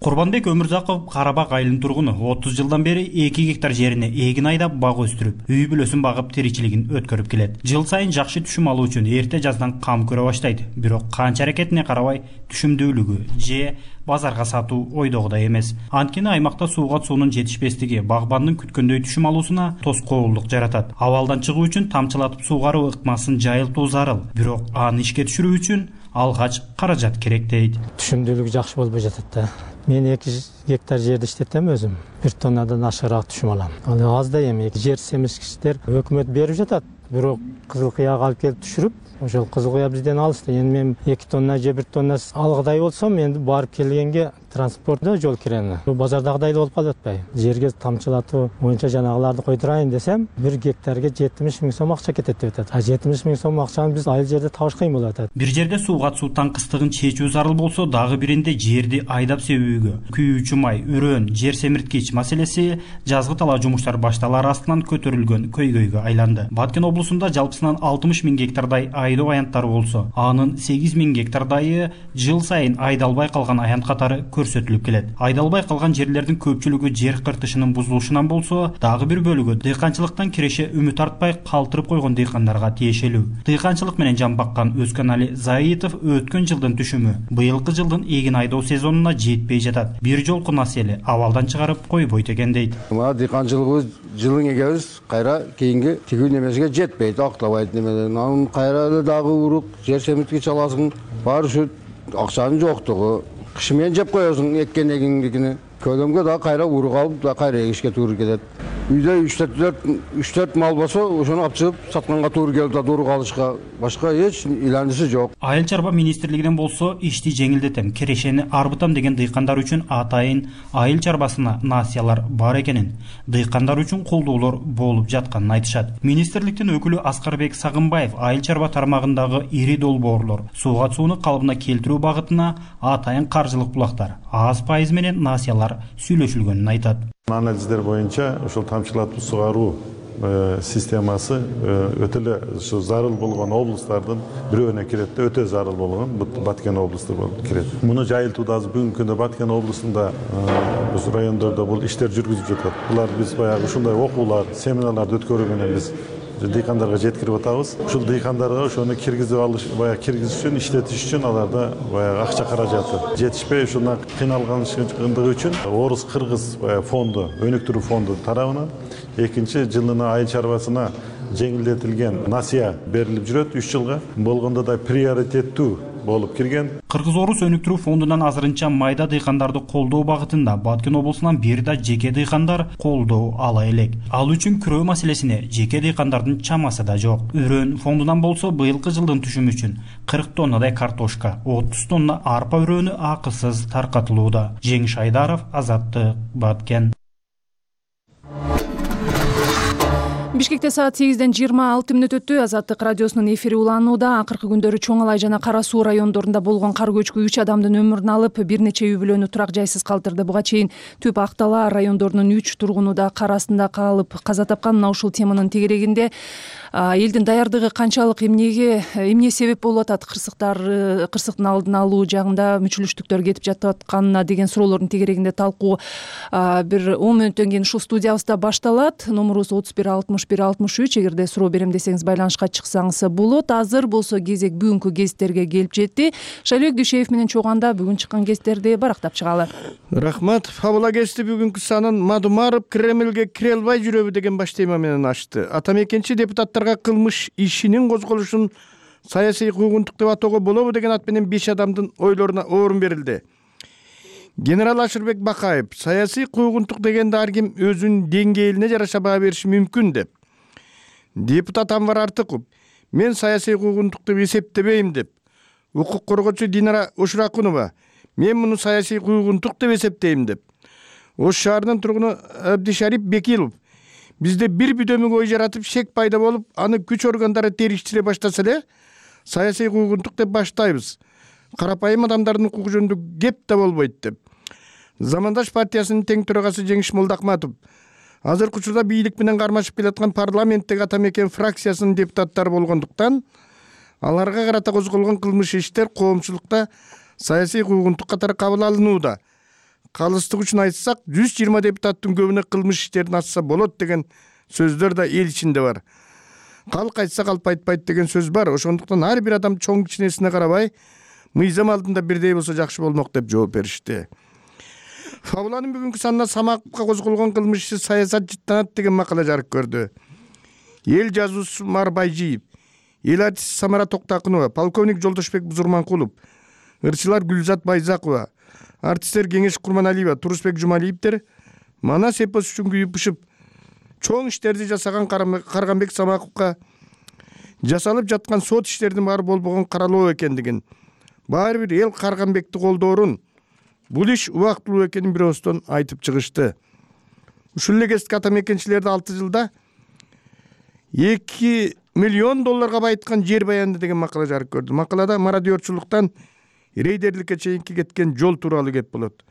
Курбанбек Өмүрзаков Карабак айылынын тургуну отуз жылдан бери эки гектар жерине эгин айдап бак өстүрүп, үй бүлөсүн багып тиричилигин өткөрүп келет. Жыл сайын жакшы түшүм алуу үчүн эрте жаздан кам көрө баштайт. Бирок канча аракетине карабай түшүмдүүлүгү же базарга сатуу ойдогудай эмес. Анткени аймакта суугат суунун жетишпестиги багбандын күткөндөй түшүм алуусуна тоскоолдук жаратат. Абалдан чыгуу үчүн тамчылатып суугаруу ыкмасын жайылтуу зарыл. Бирок аны ишке түшүрүү үчүн алгач каражат керек дейт. Түшүмдүүлүгү жакшы болбой жатат да. Мен эки гектар жерди иштетем өзүм. бир тоннадан ашыгыраак түшүм алам. Ал аз да эми жер семизгичтер өкмөт берип жатат. Бирок кызыл кыяга алып келип түшүрүп, ошол кызыл кыя бизден алышты. Эми мен эки тонна же бир тонна алгыдай болсом, менди барып келгенге транспортто жол кирени. Бул базардагыдай болуп калып атпайбы? Жерге тамчылатуу боюнча жанагыларды койдурайын десем, бир гектарга жетимиш миң сом акча кетет деп атат. А жетимиш миң сом акчаны биз айыл жерде табыш кыйын болуп атат. Бир жерде суугат суу таңкыстыгын чечүү зарыл болсо, дагы биринде жерди айдап себүүгө, күйүүчү май, үрөн, жер семирткич маселеси жазгы талаа жумуштар башталар астынан көтөрүлгөн көйгөйгө айланды. Баткен облусунда жалпысынан алтымыш миң гектардай айдоо аянттары болсо, анын сегиз миң гектардайы жыл сайын айдалбай калган аянт катары көрсөтүлүп келет. Айдалбай калган жерлердин көпчүлүгү жер кыртышынын бузулушунан болсо, дагы бир бөлүгү дыйканчылыктан киреше үмүт артпай калтырып койгон дыйкандарга тиешелүү. Дыйканчылык менен жан баккан Өскөнали Заитов өткөн жылдын түшүмү быйылкы жылдын эгин айдоо сезонуна жетпей жатат. Бир жолку населе абалдан чыгарып койбойт экен дейт. Мына дыйканчылыгыбыз жылың эгебиз кайра кийинки тигүү немесиге жетпейт, актабайт немеден. Анын кайра эле дагы урук, жер семирткич аласың, баары ушу акчанын жоктугу. Кышы менен жеп коесуң эккен эгиңдикини. Көлөмгө дагы кайра урук алып, кайра эгишке туура келет. үйдө үч төрт мал болсо ошону алып чыгып сатканга туура келип атат, калышка башка эч иландысы жок. Айыл чарба министрлигинен болсо ишти жеңилдетем, кирешени арбытам деген дыйкандар үчүн атайын айыл чарбасына насыялар бар экенин, дыйкандар үчүн колдоолор болуп жатканын айтышат. Министрликтин өкүлү Аскарбек Сагынбаев айыл чарба тармагындагы ири долбоорлор, сууга сууну калыбына келтирүү багытына атайын каржылык булактар, аз пайыз менен насыялар сүйлөшүлгөнүн айтат. Анализдер боюнча ушул тамчылатып сугаруу системасы өтө эле ушу зарыл болгон облустардын бирөөнө кирет да, өтө зарыл болгон Баткен облусту болуп кирет. Муну жайылтууда азыр бүгүнкү күндө Баткен облусунда биз райондордо бул иштер жүргүзүп жатат. Булар биз баягы ушундай окуулар, семинарларды өткөрүү менен биз дыйкандарга жеткирип атабыз. Ушул дыйкандарга ошону киргизип алыш, баягы киргизиш үчүн, иштетиш үчүн аларда баягы акча каражаты жетишпей, ушундан кыйналгандыгы үчүн Орус Кыргыз фонду, өнүктүрүү фонду тарабынан экинчи жылына айыл чарбасына жеңилдетилген насыя берилип жүрөт үч жылга. Болгондо да приоритеттүү болуп кирген. Кыргыз Орус өнүктүрүү фондунан азырынча майда дыйкандарды колдоо багытында Баткен облусунан бир да жеке дыйкандар колдоо ала элек. Ал үчүн күрөө маселесине жеке дыйкандардын чамасы да жок. Өрөн фондунан болсо быйылкы жылдын түшүмү үчүн кырк тоннадай картошка, отуз тонна арпа өрөөнү акысыз таркатылууда. Жеңиш Айдаров, Азаттык, Баткен. Бишкекте саат сегизден жыйырма алты мүнөт өттү. Азаттык радиосунун эфири уланууда. Акыркы күндөрү Чоң Алай жана Кара Суу райондорунда болгон кар көчкү үч адамдын өмүрүн алып, бир нече үй бүлөнү турак жайсыз калтырды. Буга чейин Түп Актала райондорунун үч тургуну да кар астында калып каза тапкан. Мына ушул теманын тегерегинде элдин даярдыгы канчалык, эмнеге эмне себеп болуп атат, кырсыктар кырсыктын алдын алуу жагында мүчүлүштүктөр кетип жататканына деген суроолордун тегерегинде талкуу бир он мүнөттөн кийин ушул студиябызда башталат. Номурубуз отуз бир алтымыш бир алтымыш үч. Эгерде суроо берем десеңиз байланышка чыксаңыз болот. Азыр болсо кезек бүгүнкү гезиттерге келип жетти. Шайлыбек Дүйшеев менен чоганда бүгүн чыккан гезиттерди барактап чыгалы. Рахмат. Фабула гезити бүгүнкү санын Мадумаров Кремльге кире албай жүрөбү деген баш тема менен ачты. Атамекенчи депутаттарга кылмыш ишинин козголушун саясий куугунтук деп атоого болобу деген ат менен беш адамдын ойлоруна орун берилди. Генерал Ашырбек Бакаев саясий куугунтук дегенде ар ким өзүнүн деңгээлине жараша баа бериши мүмкүн деп. Депутат Анвар Артыков мен саясий куугунтук деп эсептебейм деп. Укук коргоочу Динара Ушракунова мен муну саясий куугунтук деп эсептейм деп. Ош шаарынын тургуну Абдишарип Бекилов бизде бир бүдөмүк ой жаратып шек пайда болуп, аны күч органдары териштире баштаса эле саясий куугунтук деп баштайбыз. Карапайым адамдардын укугу жөнүндө кеп да болбойт деп. Замандаш партиясынын тең төрагасы Жеңиш Молдакматов азыркы учурда бийлик менен кармашып келаткан парламенттеги Атамекен фракциясынын депутаттары болгондуктан аларга карата козголгон кылмыш иштер коомчулукта саясий куугунтук катары кабыл алынууда. Калыстык үчүн айтсак, жүз жыйырма депутаттын көбүнө кылмыш иштерин ачса болот деген сөздөр да эл ичинде бар. Калк айтса калп айтпайт деген сөз бар. Ошондуктан ар бир адам чоң кичинесине карабай, мыйзам алдында бирдей болсо жакшы болмок деп жооп беришти. Фабуланын бүгүнкү санына Самаковго козголгон кылмыш иши саясат жыттанат деген макала жарык көрдү. Эл жазуучусу Марбайжиев, эл артисти Самара Токтакунова, полковник Жолдошбек Бузурманкулов, ырчылар Гүлзат Байзакова, артисттер Кеңеш Курманалиева, Турусбек Жумалиевдер манас эпос үчүн күйүп бышып, чоң иштерди жасаган Карганбек Самаковго жасалып жаткан сот иштердин баары болбогон каралоо экендигин, баары бир эл Карганбекти колдоорун, бул иш убактылуу экенин бир ооздон айтып чыгышты. Ушул эле кезекте атамекенчилерди алты жылда эки миллион долларга байыткан жер баянды деген макала жарык көрдү. Макалада мародерчулуктан рейдерликке чейинки кеткен жол тууралуу кеп болот.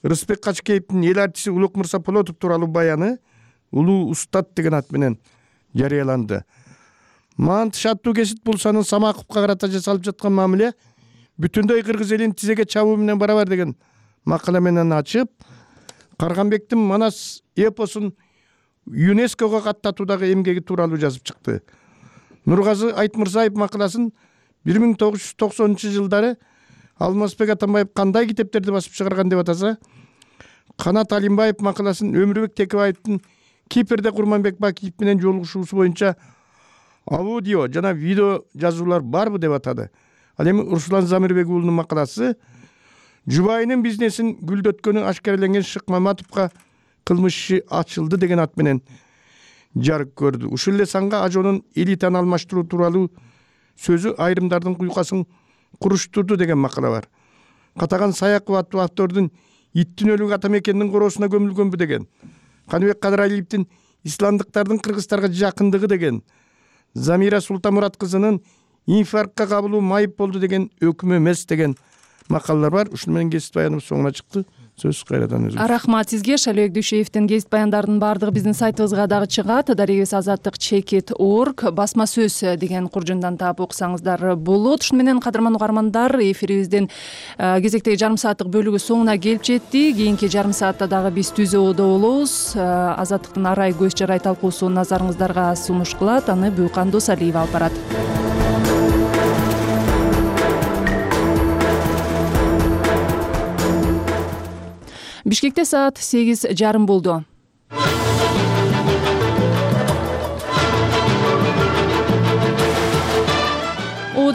Рыспек Качкеевдин эл артисти Улук Мырза Полотов тууралуу баяны Улуу Устат деген ат менен жарыяланды. Мант шаттуу кесит бул санын Самаковго карата жасалып жаткан мамиле бүтүндөй кыргыз элин тизеге чабуу менен барабар деген макала менен ачып, Карганбектин манас эпосун ЮНЕСКОго каттатуудагы эмгеги тууралуу жазып чыкты. Нургазы Айтмырзаев макаласын бир миң тогуз жүз токсонунчу жылдары Алмазбек Атамбаев кандай китептерди басып чыгарган деп атаса, Канат Алимбаев макаласын Өмүрбек Текебаевдин Кипрде Курманбек Бакиев менен жолугушуусу боюнча аудио жана видео жазуулар барбы деп атады. Ал эми Урсулан Замирбек уулунун макаласы жубайынын бизнесин гүлдөткөнү ашкареленген Шык Маматовго кылмыш ачылды деген ат менен жарык көрдү. Ушул эле санга Ажонун элитаны алмаштыруу тууралуу сөзү айрымдардын куйкасын куруштурду деген макала бар. Катаган Саяков аттуу автордун иттин өлүгү ата мекендин короосуна көмүлгөнбү деген, Каныбек Кадыралиевдин исламдыктардын кыргыздарга жакындыгы деген, Замира Султамурат кызынын инфарктка кабылуу майып болду деген өкүм эмес деген макалалар бар. Ушуну менен кесип баяным соңуна чыкты. Сөз кайрадан өзүңүз. Рахмат сизге. Шалек Дүйшеевдин кесип баяндардын баардыгы биздин сайтыбызга дагы чыгат. Дарегибиз азаттык чекит орг басма сөз деген куржундан таап окусаңыздар болот. Ушуну менен кадырман угармандар, эфирибиздин кезектеги жарым сааттык бөлүгү соңуна келип жетти. Кийинки жарым саатта дагы биз түзөөдө болобуз. Азаттыктын арай көз жарай талкуусу назарыңыздарга сунуш кылат. Аны Бүкан Досалиева алып барат. Бишкекте саат сегиз жарым болду.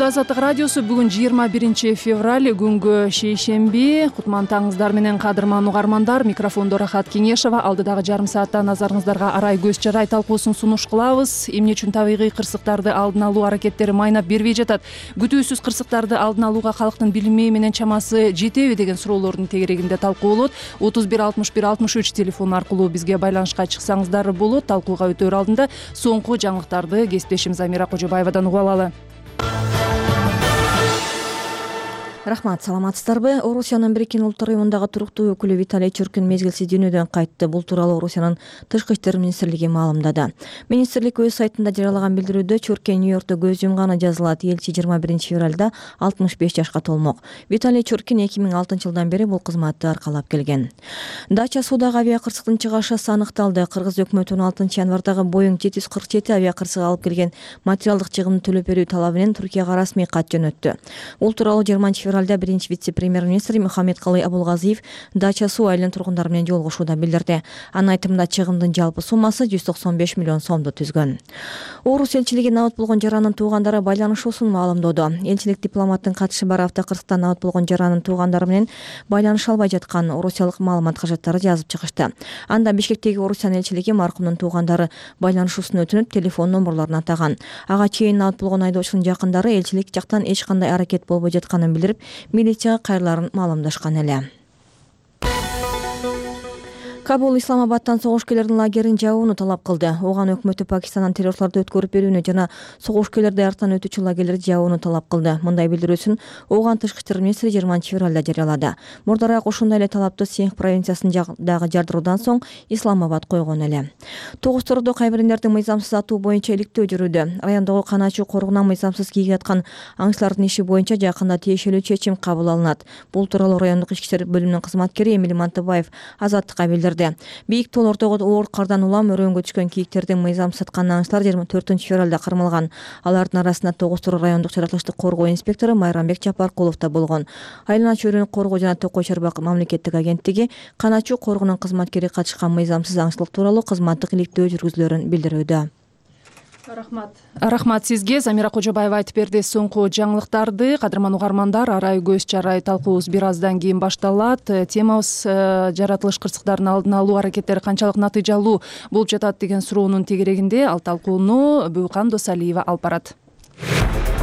Азаттык радиосу бүгүн жыйырма биринчи февраль күнгө шейшемби. Кутман таңыңыздар менен кадырман угармандар. Микрофондо Рахат Кеңешова. Алдыдагы жарым саатта назарыңыздарга арай көз жарай талкуусун сунуш кылабыз. Эмне үчүн табигый кырсыктарды алдын алуу аракеттери майнап бербей жатат? Күтүүсүз кырсыктарды алдын алууга калктын билими менен чамасы жетеби деген суроолордун тегерегинде талкуу болот. отуз бир алтымыш бир алтымыш үч телефон аркылуу бизге байланышка чыксаңыздар болот. Талкууга өтөр алдында соңку жаңылыктарды кесиптешим Замира Кожобаевадан угуп алалы. Рахмат, саламатсыздарбы? Орусиянын Бириккен Улуттар уюмундагы туруктуу өкүлү Виталий Чуркин мезгилсиз дүйнөдөн кайтты. Бул тууралуу Орусиянын Тышкы иштер министрлиги маалымдады. Министрлик өз сайтында жарыялаган билдирүүдө Чуркин Нью-Йоркто көз жумганы жазылат. Элчи жыйырма биринчи февралда алтымыш беш жашка толмок. Виталий Чуркин эки миң алтынчы жылдан бери бул кызматты аркалап келген. Дача суудагы авиа кырсыктын чыгашасы аныкталды. Кыргыз өкмөтү он алтынчы январдагы Боeing жети жүз кырк жети авиа кырсыгы алып келген материалдык чыгымды төлөп берүү талабы менен Түркияга расмий кат жөнөттү. Бул тууралуу жыйырманчы февралда биринчи вице-премьер-министр Мухаммедкалый Абулгазиев Дача суу айылынын тургундары менен жолугушууда билдирди. Анын айтымында чыгымдын жалпы суммасы жүз токсон беш миллион сомду түзгөн. Орус элчилиги набыт болгон жаранын туугандары байланышуусун маалымдоодо. Элчилик дипломаттын катышы бар автокырсыктан набыт болгон жаранын туугандары менен байланыша албай жаткан орусиялык маалымат кажаттары жазып чыгышты. Анда Бишкектеги Орусиянын элчилиги маркумдун туугандары байланышуусун өтүнүп, телефон номерлорун атаган. Ага чейин набыт болгон айдоочунун жакындары элчилик жактан эч кандай аракет болбой жатканын билдирип, милицияга кайрыларын маалымдашкан эле. Кабул Исламабадтан согушкерлердин лагерин жабууну талап кылды. Оган өкмөтү Пакистандан террорчуларды өткөрүп берүүнү жана согушкерлер даярдыктан өтүүчү лагерлерди жабууну талап кылды. Мындай билдирүүсүн Оган тышкы иштер министри жыйырманчы февралда жарыялады. Мурдараак ошондой эле талапты Синх провинциясындагы жардыруудан соң Исламабад койгон эле. Тогуз тородо кайбириндердин мыйзамсыз атуу боюнча иликтөө жүрүүдө. Райондогу Каначу коргунан мыйзамсыз кийип аткан аңчылардын иши боюнча жакында тиешелүү чечим кабыл алынат. Бул тууралуу райондук ички иштер бөлүмүнүн кызматкери Эмил Мантыбаев Азаттыкка билдирди. Бийик тоолордогу оор кардан улам өрөөнгө түшкөн кийиктердин мыйзамсыз саткан аңчылар жыйырма төртүнчү февралда кармалган. Алардын арасында тогуз тороо райондук жаратылыштык коргоо инспектору Майрамбек Жапаркулов да болгон. Айлана чөйрөнү коргоо жана токой чарбак мамлекеттик агенттиги Каначу коргунун кызматкери катышкан мыйзамсыз аңчылык тууралуу кызматтык иликтөө жүргүзүлөрүн билдирүүдө. Рахмат. Рахмат сизге. Замира Кожобаева айтып берди соңку жаңылыктарды. Кадырман угармандар, арай көз жарай талкуубуз бир аздан кийин башталат. Темабыз жаратылыш кырсыктарын алдын алуу аракеттери канчалык натыйжалуу болуп жатат деген суроонун тегерегинде. Ал талкууну Бүкан Досалиева алып барат.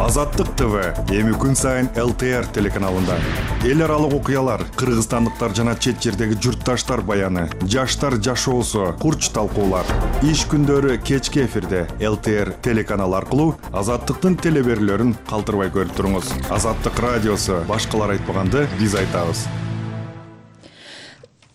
Азаттык ТВ эми күн сайын эл тэ эр телеканалында эл аралык окуялар, кыргызстандыктар жана чет жердеги журтташтар баяны, жаштар жашоосу, курч талкуулар. Иш күндөрү кечки эфирде эл тэ эр телеканалы аркылуу Азаттыктын телеберүүлөрүн калтырбай көрүп туруңуз. Азаттык радиосу башкалар айтпаганды биз айтабыз.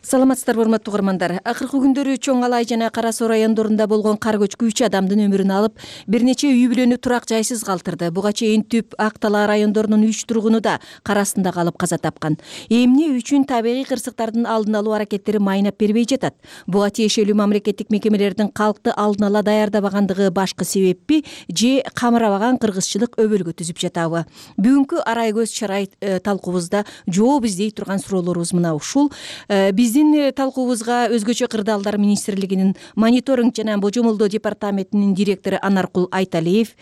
Саламатсыздарбы, урматтуу угармандар. Акыркы күндөрү Чоң Алай жана Кара Суу райондорунда болгон кар көчкү үч адамдын өмүрүн алып, бир нече үй бүлөнү турак жайсыз калтырды. Буга чейин Түп, Ак Талаа райондорунун үч тургуну да кар астында калып каза тапкан. Эмне үчүн табигый кырсыктардын алдын алуу аракеттери майнап бербей жатат? Буга тиешелүү мамлекеттик мекемелердин калкты алдын ала даярдабагандыгы башкы себеппи же камырабаган кыргызчылык өбөлгө түзүп жатабы? Бүгүнкү арай көз чарай талкуубузда жооп издей турган суроолорубуз мына ушул. Биз биздин талкуубузга Өзгөчө кырдаалдар министрлигинин мониторинг жана божомолдоо департаментинин директору Анаркул Айталиев,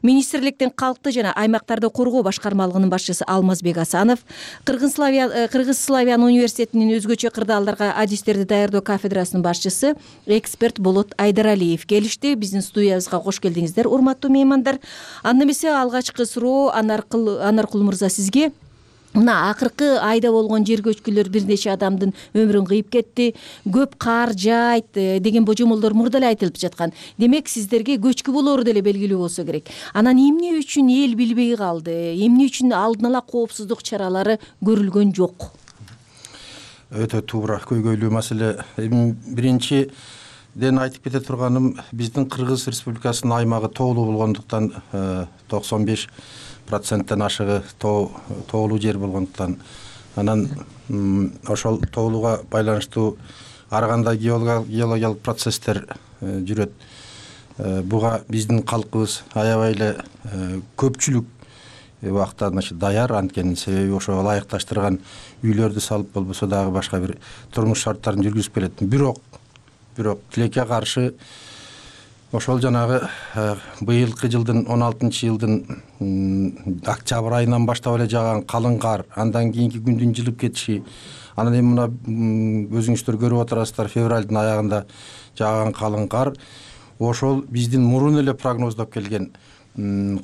министрликтин калкты жана аймактарды коргоо башкармалыгынын башчысы Алмазбек Асанов, Кыргыз славян университетинин Өзгөчө кырдаалдарга адистерди даярдоо кафедрасынын башчысы эксперт Болот Айдаралиев келишти. Биздин студиябызга кош келдиңиздер, урматтуу меймандар. Анда эмесе алгачкы суроо Анаркул Анаркул мырза сизге. Мына акыркы айда болгон жер көчкүлөр бир нече адамдын өмүрүн кыйып кетти. Көп кар жаайт деген божомолдор мурда эле айтылып жаткан. Демек сиздерге көчкү болоору деле белгилүү болсо керек. Анан эмне үчүн эл билбей калды? Эмне үчүн алдын ала коопсуздук чаралары көрүлгөн жок? Өтө туура көйгөйлүү маселе. Биринчи ден айтып кете турганым, биздин Кыргыз Республикасынын аймагы тоолуу болгондуктан токсон беш проценттен ашыгы тоолуу жер болгондуктан, анан ошол тоолууга байланыштуу ар кандай геологиялык процесстер жүрөт. Буга биздин калкыбыз аябай эле көпчүлүк убакта даяр, анткени себеби ошого ылайыкташтырган үйлөрдү салып, болбосо дагы башка бир турмуш шарттарын жүргүзүп келет. Бирок бирок тилекке каршы ошол жанагы быйылкы жылдын он алтынчы жылдын октябрь айынан баштап эле жааган калың кар, андан кийинки күндүн жылып кетиши, анан эми мына өзүңүздөр көрүп отурасыздар, февралдын аягында жааган калың кар, ошол биздин мурун эле прогноздоп келген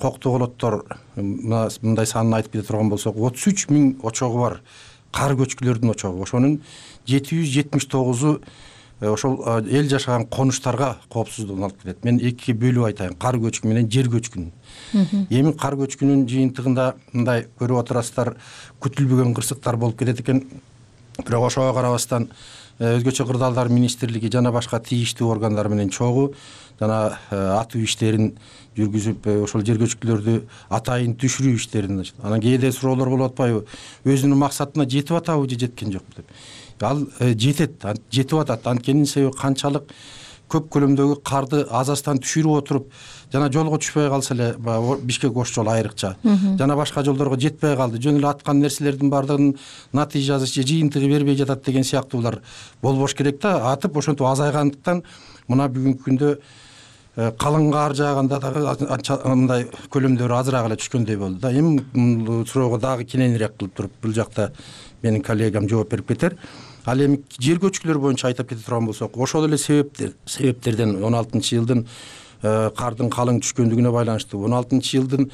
коктоголоттор, мындай санын айтып кете турган болсок, отуз үч миң очогу бар, кар көчкүлөрдүн очогу. Ошонун жети жүз жетимиш тогузу ошол эл жашаган конуштарга коопсуздугун алып келет. Мен экиге бөлүп айтайын: кар көчкүнү менен жер көчкүнү. Эми кар көчкүнүнүн жыйынтыгында мындай көрүп отурасыздар, күтүлбөгөн кырсыктар болуп кетет экен. Бирок ошого карабастан Өзгөчө кырдаалдар министрлиги жана башка тийиштүү органдар менен чогуу жана атуу иштерин жүргүзүп, ошол жер көчкүлөрдү атайын түшүрүү иштерин. Анан кээде суроолор болуп атпайбы, өзүнүн максатына жетип атабы же жеткен жокпу деп. Ал жетет, жетип атат. Анткени себеби канчалык көп көлөмдөгү карды азастан түшүрүп отуруп, жана жолго түшпөй калса эле, Бишкек ош жолу айрыкча, жана башка жолдорго жетпей калды, жөн эле аткан нерселердин бардыгынын натыйжасы же жыйынтыгы бербей жатат деген сыяктуулар болбош керек да. Атып ошентип азайгандыктан мына бүгүнкү күндө калың кар жааганда дагы мындай көлөмдөрү азыраак эле түшкөндөй болду да. Эми суроого дагы кененирээк кылып туруп, бул жакта менин коллегам жооп берип кетер. Ал эми жер көчкүлөр боюнча айтып кете турган болсок, ошол эле себептер себептерден он алтынчы жылдын кардын калың түшкөндүгүнө байланыштуу, он алтынчы жылдын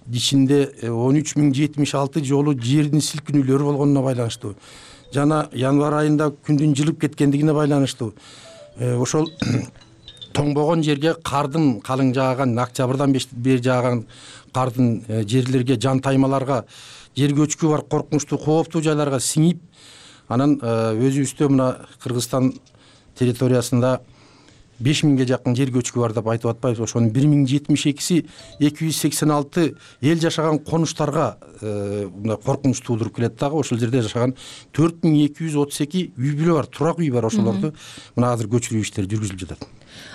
ичинде он үч миң жетимиш алты жолу жердин силкинүүлөрү болгонуна байланыштуу, жана январь айында күндүн жылып кеткендигине байланыштуу, ошол тоңбогон жерге кардын калың жааган, октябрдан бери жааган кардын жерлерге, жан таймаларга, жер көчкү бар коркунучтуу, кооптуу жайларга сиңип, анан өзүбүздө мына Кыргызстан территориясында беш миңге жакын жер көчкү бар деп айтып атпайбыз. Ошонун бир миң жетимиш экиси эки жүз сексен алты эл жашаган конуштарга мына коркунуч туудуруп келет дагы. Ошол жерде жашаган төрт миң эки жүз отуз эки үй бүлө бар, турак үй бар. Ошолорду мына азыр көчүрүү иштери жүргүзүлүп жатат.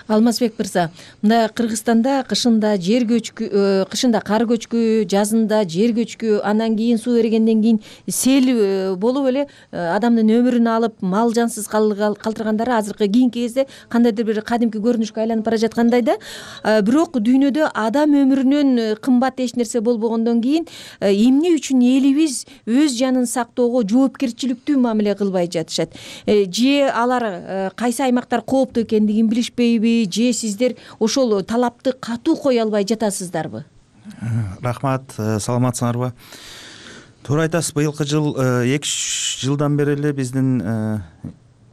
Алмазбек мырза, мына Кыргызстанда кышында жер көчкү, кышында кар көчкү, жазында жер көчкү, анан кийин суу эригенден кийин сел болуп эле адамдын өмүрүн алып, мал жансыз калтыргандары азыркы кийинки кезде кандайдыр бир кадимки көрүнүшкө айланып бара жаткандай да. Бирок дүйнөдө адам өмүрүнөн кымбат эч нерсе болбогондон кийин эмне үчүн элибиз өз жанын сактоого жоопкерчиликтүү мамиле кылбай жатышат? Же алар кайсы аймактар кооптуу экендигин билишпейби, же сиздер ошол талапты катуу кое албай жатасыздарбы? Рахмат, саламатсыңарбы? Туура айтасыз, быйылкы жыл эки жылдан бери эле биздин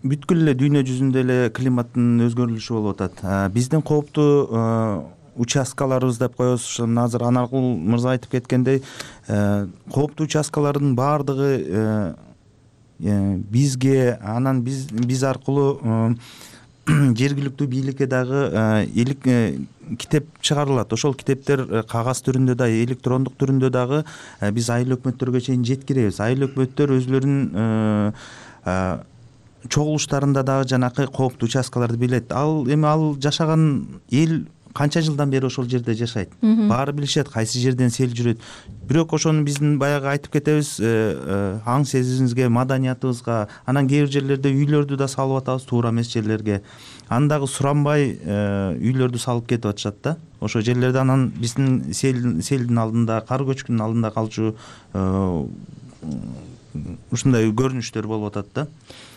бүткүл эле дүйнө жүзүндө эле климаттын өзгөрүлүшү болуп атат. Биздин кооптуу участкаларыбыз деп коебуз, азыр Анаркул мырза айтып кеткендей, кооптуу участкалардын баардыгы бизге, анан биз биз аркылуу жергиликтүү бийликке дагы илик китеп чыгарылат. Ошол китептер кагаз түрүндө да, электрондук түрүндө дагы биз айыл өкмөттөргө чейин жеткиребиз. Айыл өкмөттөр өзүлөрүнүн чогулуштарында дагы жанакы кооптуу участкаларды билет. Ал эми ал жашаган эл канча жылдан бери ошол жерде жашайт, баары билишет кайсы жерден сел жүрөт. Бирок ошону биздин баягы айтып кетебиз, аң сезимибизге, маданиятыбызга, анан кээ бир жерлерде үйлөрдү да салып атабыз туура эмес жерлерге. Андагы суранбай үйлөрдү салып кетип атышат да. Ошол жерлерде анан биздин селдин алдында, кар көчкүнүн алдында калчу ушундай көрүнүштөр болуп атат да.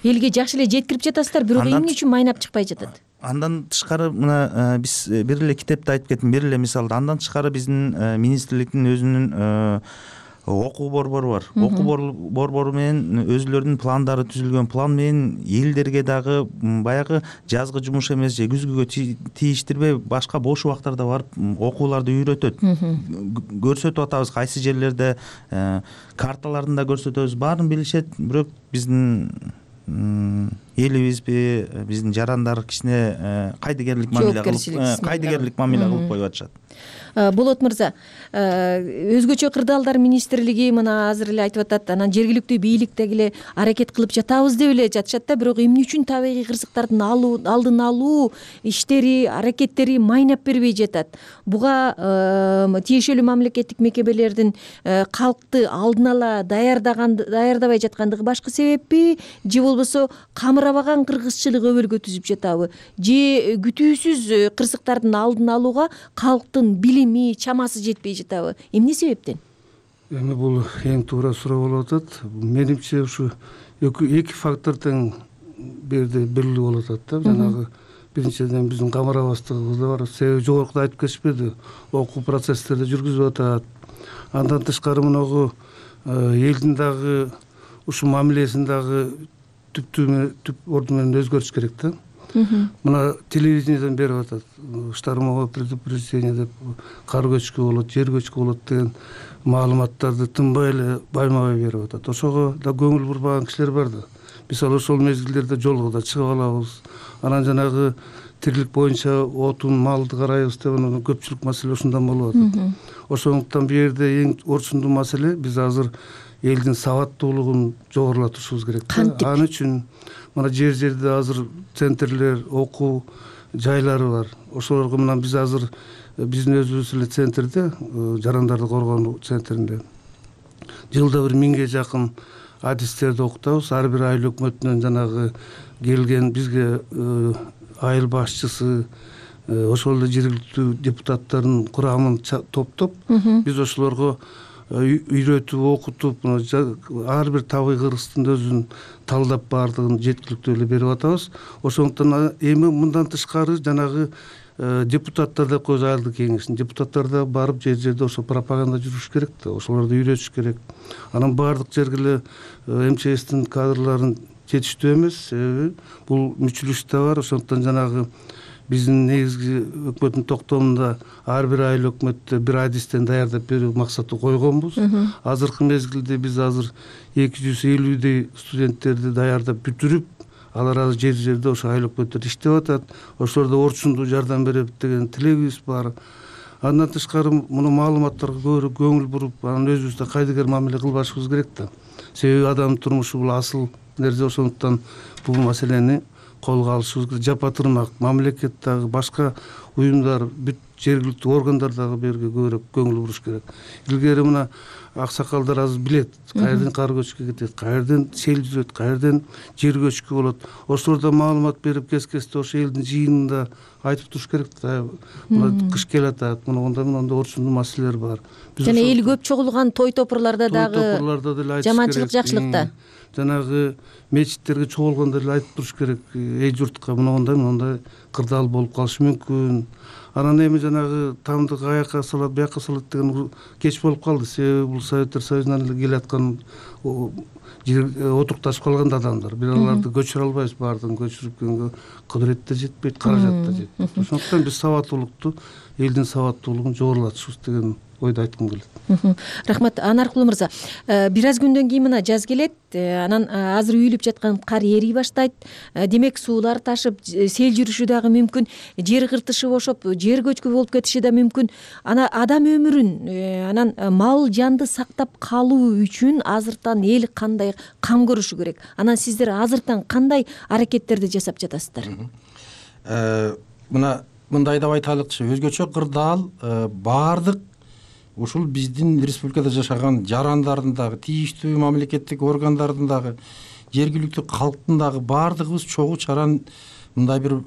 Элге жакшы эле жеткирип жатасыздар, бирок эмне үчүн майнап чыкпай жатат? Андан тышкары мына биз бир эле китепте айтып кеттим, бир эле мисалда. Андан тышкары биздин министрликтин өзүнүн окуу борбору бар. Окуу борбору менен өзүлөрүнүн пландары түзүлгөн, план менен элдерге дагы баягы жазгы жумуш эмес же күзгүгө тийиштирбей башка бош убактарда барып окууларды үйрөтөт. Көрсөтүп атабыз кайсы жерлерде, карталарында көрсөтөбүз, баарын билишет, бирок биздин элибизби, биздин жарандар кичине кайдыгерлик мамиле кылып, кайдыгерлик мамиле кылып коюп атышат. Болот мырза, өзгөчө кырдаалдар министрлиги мына азыр эле айтып атат, анан жергиликтүү бийлик деги эле аракет кылып жатабыз деп эле жатышат да, бирок эмне үчүн табигый кырсыктардын алдын алуу иштери, аракеттери майнап бербей жатат? Буга тиешелүү мамлекеттик мекемелердин калкты алдын ала даярдабай жаткандыгы башкы себеппи, же болбосо камырабаган кыргызчылык өбөлгө түзүп жатабы, же күтүүсүз кырсыктардын алдын алууга калктын билими, чамасы жетпей жатабы? Эмне себептен? Эми бул эң туура суроо болуп атат. Менимче ушу эки фактор тең берде белгилүү болуп атат да. Жанагы биринчиден биздин камырабастыгыбыз да бар. Себеби жогоруда айтып кетишпеди, окуу процесстерди жүргүзүп атат. Андан тышкары мынагу элдин дагы ушу мамилесин дагы түптүү түп орду менен өзгөртүш керек да. Мына телевидениеден берип атат, штормовое предупреждение деп, кар көчкү болот, жер көчкү болот деген маалыматтарды тынбай эле баймабай берип атат. Ошого да көңүл бурбаган кишилер бар да. Мисалы ошол мезгилдерде жолго да чыгып алабыз. Анан жанагы тирилик боюнча отун, малды карайбыз деп, анан көпчүлүк маселе ушундан болуп атат. Ошондуктан бул жерде эң орчундуу маселе биз азыр элдин сабаттуулугун жогорулатышыбыз керек да. Ал үчүн мына жер-жерде азыр центрлер, окуу жайлары бар. Ошолорго мына биз азыр биздин өзүбүз эле центрде, жарандарды коргонуу центринде жылда бир миңге жакын адистерди окутабыз. Ар бир айыл өкмөтүнөн жанагы келген бизге айыл башчысы, ошол эле жергиликтүү депутаттардын курамын топтоп, биз ошолорго үйрөтүп, окутуп, ар бир табигый кыргыздын өзүн талдап баардыгын жеткиликтүү эле берип атабыз. Ошондуктан эми мындан тышкары жанагы депутаттар деп коебуз, айылдык кеңештин депутаттары барып жер-жерде ошо пропаганда жүрүш керек да, ошолорду үйрөтүш керек. Анан баардык жерге эле МЧСтин кадрларын жетиштүү эмес, себеби бул мүчүлүш да бар. Ошондуктан жанагы биздин негизги өкмөттүн токтомунда ар бир айыл өкмөттө бир адистен даярдап берүү максаты койгонбуз. Азыркы мезгилде биз азыр эки жүз элүүдөй студенттерди даярдап бүтүрүп, алар азыр жер-жерде ошо айыл өкмөттөрдө иштеп атат. Ошолордо орчундуу жардам берет деген тилегибиз бар. Андан тышкары муну маалыматтарга көбүрөөк көңүл буруп, анан өзүбүздө кайдыгер мамиле кылбашыбыз керек да. Себеби адамдын турмушу бул асыл нерсе. Ошондуктан бул маселени колго алышыбыз керек. Жапа-тырмак мамлекет дагы, башка уюмдар, бүт жергиликтүү органдар дагы берге көбүрөөк көңүл буруш керек. Илгери мына аксакалдар азыр билет, каерден кар көчкү кетет, каерден сел жүрөт, каерден жер көчкү болот. Ошолордо маалымат берип, кес-кесте ошо элдин жыйынында айтып туруш керек да. Мына кыш келатат, мына онда мындай орчундуу маселелер бар. Жана эл көп чогулган той топурларда дагы жаманчылык жакшылыкта. Жанагы мечиттерге чогулганда эле айтып туруш керек, эй журтка мындай мындай кырдаал болуп калышы мүмкүн. Анан эми жанагы тамды каяка салат, бияка салат деген кеч болуп калды. Себеби бул Советтер Союзунан эле келаткан отукташып калган адамдар. Бир аларды көчүрө албайбыз, баардыгын көчүрүп кудурет да жетпейт, каражат да жетпейт. Ошондуктан биз сабаттуулукту, элдин сабаттуулугун жогорулатышыбыз деген ойду айткым келет. Рахмат. Анаркулов мырза, бир аз күндөн кийин мына жаз келет, анан азыр үйүлүп жаткан кар эрий баштайт. Демек суулар ташып, сел жүрүшү дагы мүмкүн, жер кыртышы бошоп, жер көчкү болуп кетиши да мүмкүн. Ана адам өмүрүн, анан мал жанды сактап калуу үчүн азыртан эл кандай кам көрүшү керек? Анан сиздер азыртан кандай аракеттерди жасап жатасыздар? Мына мындай деп айтайлыкчы, өзгөчө кырдаал баардык ушул биздин республикада жашаган жарандардын дагы, тийиштүү мамлекеттик органдардын дагы, жергиликтүү калктын дагы баардыгыбыз чогуу чаран мындай бир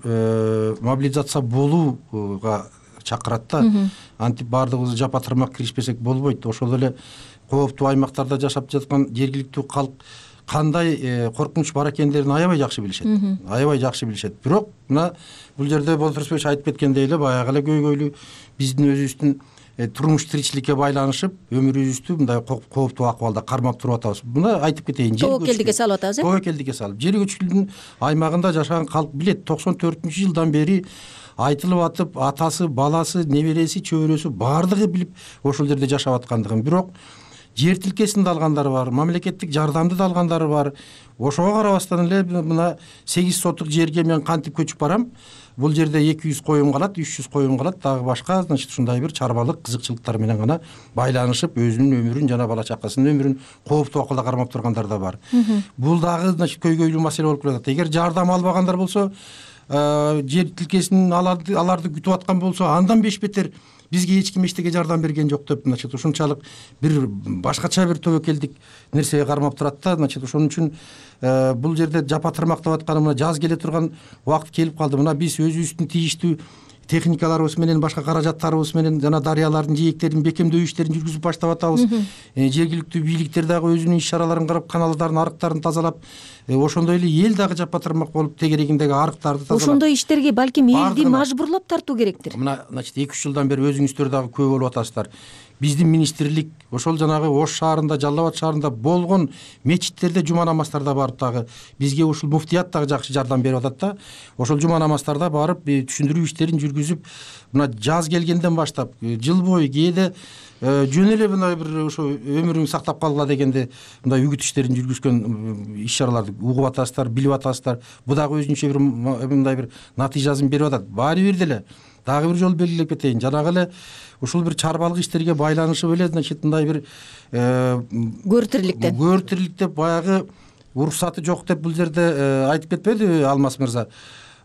мобилизация болууга чакырат да. Антип баардыгыбыз жапа-тырмак киришпесек болбойт. Ошол эле кооптуу аймактарда жашап жаткан жергиликтүү калк кандай коркунуч бар экендерин аябай жакшы билишет. Аябай жакшы билишет. Бирок мына бул жерде Болотурсбекович айтып кеткендей эле баягы эле көйгөйлүү биздин өзүбүздүн турмуш тиричиликке байланышып өмүрүбүздү мындай кооптуу акыбалда кармап туруп атабыз. Мына айтып кетейин. Тобокелдикке салып атабыз э? Тобокелдикке салып. Жер көчкүлүнүн аймагында жашаган калк билет. токсон төртүнчү жылдан бери айтылып атып, атасы, баласы, небереси, чөбөрөсү баардыгы билип ошол жерде жашап аткандыгын. Бирок жер тилкесин да алгандары бар, мамлекеттик жардамды да алгандары бар. Ошого карабастан эле мына сегиз сотук жерге мен кантип көчүп барам? Бул жерде эки жүз коюм калат, үч жүз коюм калат, дагы башка, значит, ушундай бир чарбалык кызыкчылыктар менен гана байланышып, өзүнүн өмүрүн жана бала чакасынын өмүрүн кооптуу акылда кармап тургандар да бар. Бул дагы, значит, көйгөйлүү маселе болуп келатат. Эгер жардам албагандар болсо, жер тилкесин аларды аларды күтүп аткан болсо, андан беш бетер бизге эч ким эчтеге жардам берген жок деп, значит, ушунчалык бир башкача бир тобокелдик нерсеге кармап турат да. Значит, ошон үчүн бул жерде жапа-тырмак деп атканым мына жаз келе турган убакыт келип калды. Мына биз өзүбүздүн тийиштүү техникаларыбыз менен, башка каражаттарыбыз менен жана дарыялардын жээктерин бекемдөө иштерин жүргүзүп баштап атабыз. Жергиликтүү бийликтер дагы өзүнүн иш чараларын карап, каналдарын, арыктарын тазалап, ошондой эле эл дагы жапа-тырмак болуп тегерегиндеги арыктарды тазалап. Ошондой иштерге балким элди мажбурлап тартуу керектир. Мына, значит, эки үч жылдан бери өзүңүздөр дагы күбө болуп атасыздар. Биздин министрлик ошол жанагы Ош шаарында, Жалал Абад шаарында болгон мечиттерде жума намаздарда барып дагы бизге ушул муфтият дагы жакшы жардам берип атат да. Ошол жума намаздарда барып түшүндүрүү иштерин жүргүзүп, мына жаз келгенден баштап жыл бою кээде жөн эле мындай бир ошо өмүрүң сактап калгыла дегенде мындай үгүт иштерин жүргүзгөн иш чараларды угуп атасыздар, билип атасыздар. Бу дагы өзүнчө бир мындай бир натыйжасын берип атат. Баары бир деле дагы бир жолу белгилеп кетейин. Жанагы эле ушул бир чарбалык иштерге байланышып эле, значит, мындай бир көртирликте көртирликте баягы уруксаты жок деп бул жерде айтып кетпедиби Алмаз мырза?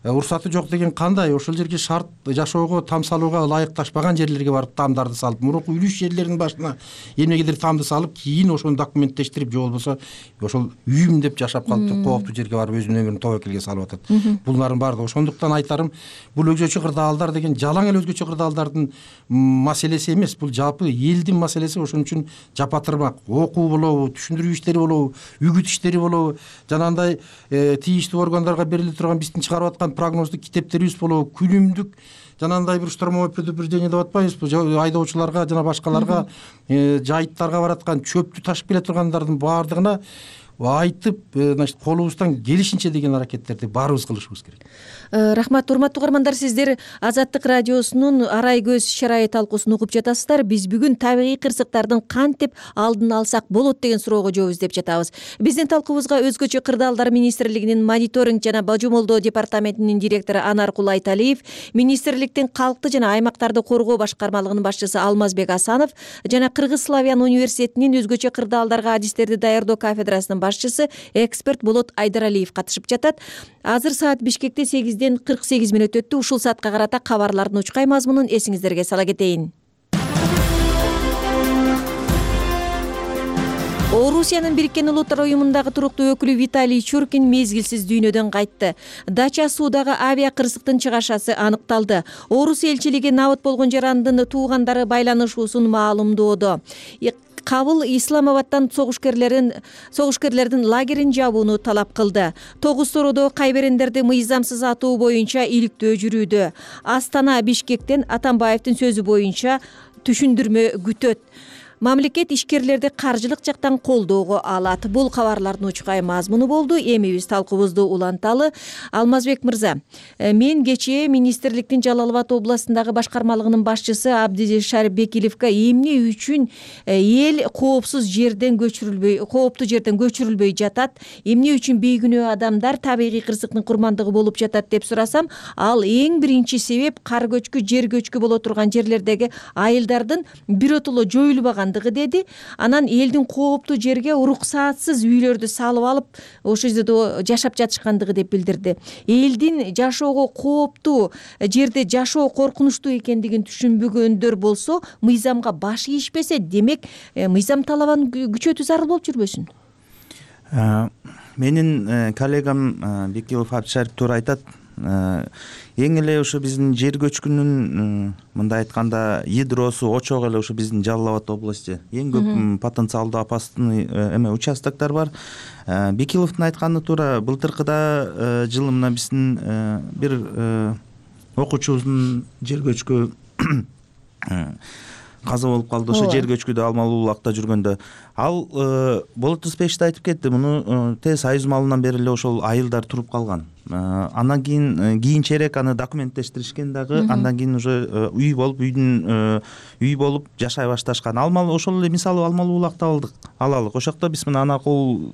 Уруксаты жок деген кандай? Ошол жерге шарт жашоого, там салууга ылайыкташпаган жерлерге барып тамдарды салып, мурунку үлүш жерлеринин башына эмнегедир тамды салып, кийин ошону документтештирип, же болбосо ошол үйүм деп жашап калып, кооптуу жерге барып өзүнүн өмүрүн тобокелге салып атат. Булардын баардыгы. Ошондуктан айтарым, бул өзгөчө кырдаалдар деген жалаң эле өзгөчө кырдаалдардын маселеси эмес, бул жалпы элдин маселеси. Ошон үчүн жапа-тырмак окуу болобу, түшүндүрүү иштери болобу, үгүт иштери болобу, жанагындай тийиштүү органдарга бериле турган биздин чыгарып аткан прогноздук китептерибиз болобу, күнүмдүк жанагындай бир штормовое предупреждение деп атпайбызбы, айдоочуларга жана башкаларга, жайыттарга бараткан чөптү ташып келе тургандардын баардыгына айтып, значит, колубуздан келишинче деген аракеттерди баарыбыз кылышыбыз керек. Рахмат, урматтуу угармандар, сиздер Азаттык радиосунун Арай көз иш-чарайы талкуусун угуп жатасыздар. Биз бүгүн табигый кырсыктардын кантип алдын алсак болот деген суроого жооп издеп жатабыз. Биздин талкуубузга өзгөчө кырдаалдар министрлигинин мониторинг жана бажомолдоо департаментинин директору Анаркул Айталиев, министрликтин калкты жана аймактарды коргоо башкармалыгынын башчысы Алмазбек Асанов жана Кыргыз Славян университетинин өзгөчө кырдаалдарга адистерди даярдоо кафедрасынын башчысы эксперт Болот Айдаралиев катышып жатат. Азыр саат Бишкекте сегизден кырк сегиз мүнөт өттү. Ушул саатка карата кабарлардын учкай мазмунун эсиңиздерге сала кетейин. Орусиянын Бириккен Улуттар уюмундагы туруктуу өкүлү Виталий Чуркин мезгилсиз дүйнөдөн кайтты. Дача суудагы авиа кырсыктын чыгашасы аныкталды. Орусия элчилиги набыт болгон жарандын туугандары байланышуусун маалымдоодо. Кабыл Исламабадтан согушкерлерин согушкерлердин лагерин жабууну талап кылды. Тогуз сороодо кайберендерди мыйзамсыз атуу боюнча иликтөө жүрүүдө. Астана Бишкектен Атамбаевдин сөзү боюнча түшүндүрмө күтөт. Мамлекет ишкерлерди каржылык жактан колдоого алат. Бул кабарлардын учкай мазмуну болду. Эми биз талкуубузду уланталы. Алмазбек мырза, мен кечээ министрликтин Жалал Абад областындагы башкармалыгынын башчысы Абдижишар Бекилевге эмне үчүн эл коопсуз жерден көчүрүлбөй, кооптуу жерден көчүрүлбөй жатат, эмне үчүн бейгүнөө адамдар табигый кырсыктын курмандыгы болуп жатат деп сурасам, ал эң биринчи себеп кар көчкү, жер көчкү боло турган жерлердеги айылдардын биротоло жоюлбаган жаткандыгы деди. Анан элдин кооптуу жерге уруксаатсыз үйлөрдү салып алып ошол жерде жашап жатышкандыгы деп билдирди. Элдин жашоого кооптуу жерде жашоо коркунучтуу экендигин түшүнбөгөндөр болсо, мыйзамга баш ийишпесе, демек мыйзам талабын күчөтүү зарыл болуп жүрбөсүн? Менин коллегам Бекилов Абдышарип туура айтат. Эң эле ошо биздин жер көчкүнүн мындай айтканда ядросу, очогу эле ошо биздин Жалал Абад области. Эң көп потенциалдуу опасный эме участоктор бар. Бекиловдун айтканы туура. Былтыркыда жылы мына биздин бир окуучубуздун жер көчкү каза болуп калды. Ошо жер көчкүдө Алмалы Булакта жүргөндө ал Болот Туспешти айтып кетти. Муну тез Союз малынан бери эле ошол айылдар туруп калган. Андан кийин кийинчерээк аны документтештиришкен дагы, андан кийин уже үй болуп, үйдүн үй болуп жашай башташкан. Алмалы ошол эле мисалы Алмалы Булакта алдык, алалык. Ошокто биз мына Анакул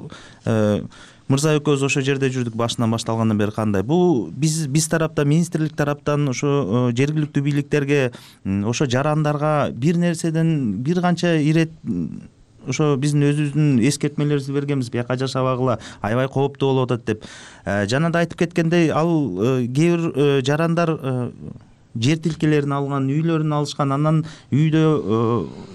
мырза экөөбүз ошол жерде жүрдүк башынан башталгандан бери. Кандай бул биз биз тараптан, министрлик тараптан ошо жергиликтүү бийликтерге, ошо жарандарга бир нерседен бир канча ирет ошо биздин өзүбүздүн эскертмелерибизди бергенбиз. Бияка жашабагыла, аябай кооптуу болуп атат деп. Жана да айтып кеткендей, ал кээ бир жарандар жер тилкелерин алган, үйлөрүн алышкан, анан үйдө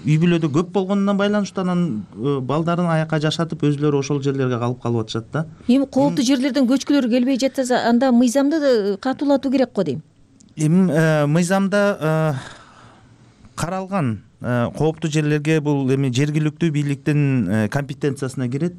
үй бүлөдө көп болгонунан байланыштуу анан балдарын аякка жашатып өзүлөрү ошол жерлерге калып калып атышат да. Эми кооптуу жерлерден көчкүлөр келбей жатса, анда мыйзамды катуулатуу керек го дейм. Эми мыйзамда каралган кооптуу жерлерге бул эми жергиликтүү бийликтин компетенциясына кирет.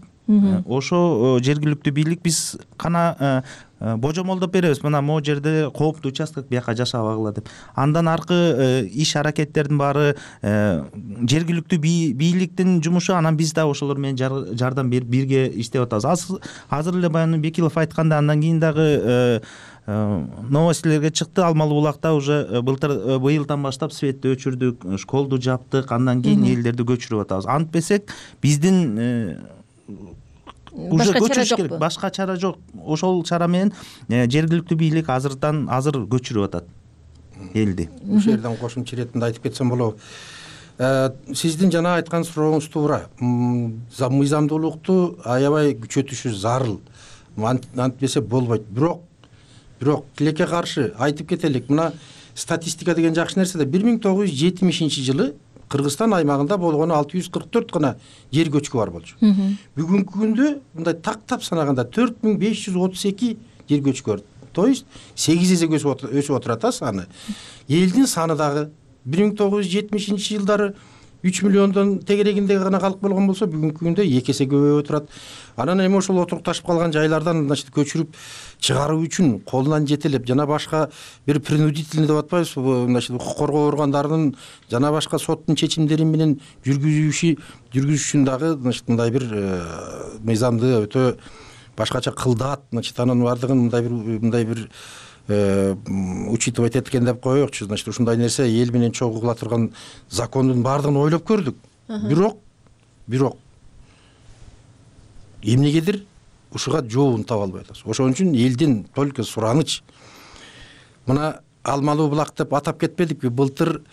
Ошо жергиликтүү бийлик биз кана божомолдоп беребиз. Мына могу жерде кооптуу участок, бияка жашабагыла деп. Андан аркы иш аракеттердин баары жергиликтүү бийликтин жумушу. Анан биз да ошолор менен жардам берип бирге иштеп атабыз. Азыр эле баягы Бекилов айтканда, андан кийин дагы новостилерге чыкты. Алмалы Булакта уже былтыр быйылдан баштап светти өчүрдүк, школду жаптык, андан кийин элдерди көчүрүп атабыз. Антпесек биздин уже көчүрүш керек, башка чара жок. Ошол чара менен жергиликтүү бийлик азырдан азыр көчүрүп атат элди. Ошол жерден кошумча иретинде айтып кетсем болобу? Сиздин жана айткан сурооңуз туура. Мыйзамдуулукту аябай күчөтүшү зарыл. Антпесе болбойт. Бирок бирок тилекке каршы айтып кетелик. Мына статистика деген жакшы нерсе да. бир миң тогуз жүз жетимишинчи жылы Кыргызстан аймагында болгону алты жүз кырк төрт гана жер көчкү бар болчу. Бүгүнкү күндө мындай тактап санаганда төрт миң беш жүз отуз эки жер көчкү бар. То есть сегиз эсе өсүп отурат саны. Элдин саны дагы бир миң тогуз жүз жетимишинчи жылдары үч миллиондон тегерегинде гана калып болгон болсо, бүгүнкү күндө эки эсе көбөйүп турат. Анан эми ошол отурукташып калган жайлардан значит көчүрүп чыгаруу үчүн колунан жетелеп жана башка бир принудительный деп атпайбызбы, значит укук коргоо органдарынын жана башка соттун чечимдери менен жүргүзүүшү жүргүзүш үчүн дагы значит мындай бир мыйзамды өтө башкача кылдаат. Значит анын бардыгын мындай бир мындай бир учитывать эткен деп коеюкчу. Значит ушундай нерсе эл менен чогуу кыла турган закондун бардыгын ойлоп көрдүк. Бирок бирок эмнегедир ушуга жообун таба албай атабыз. Ошон үчүн элдин только сураныч. Мына Алмалы Булак деп атап кетпедикпи? Былтыр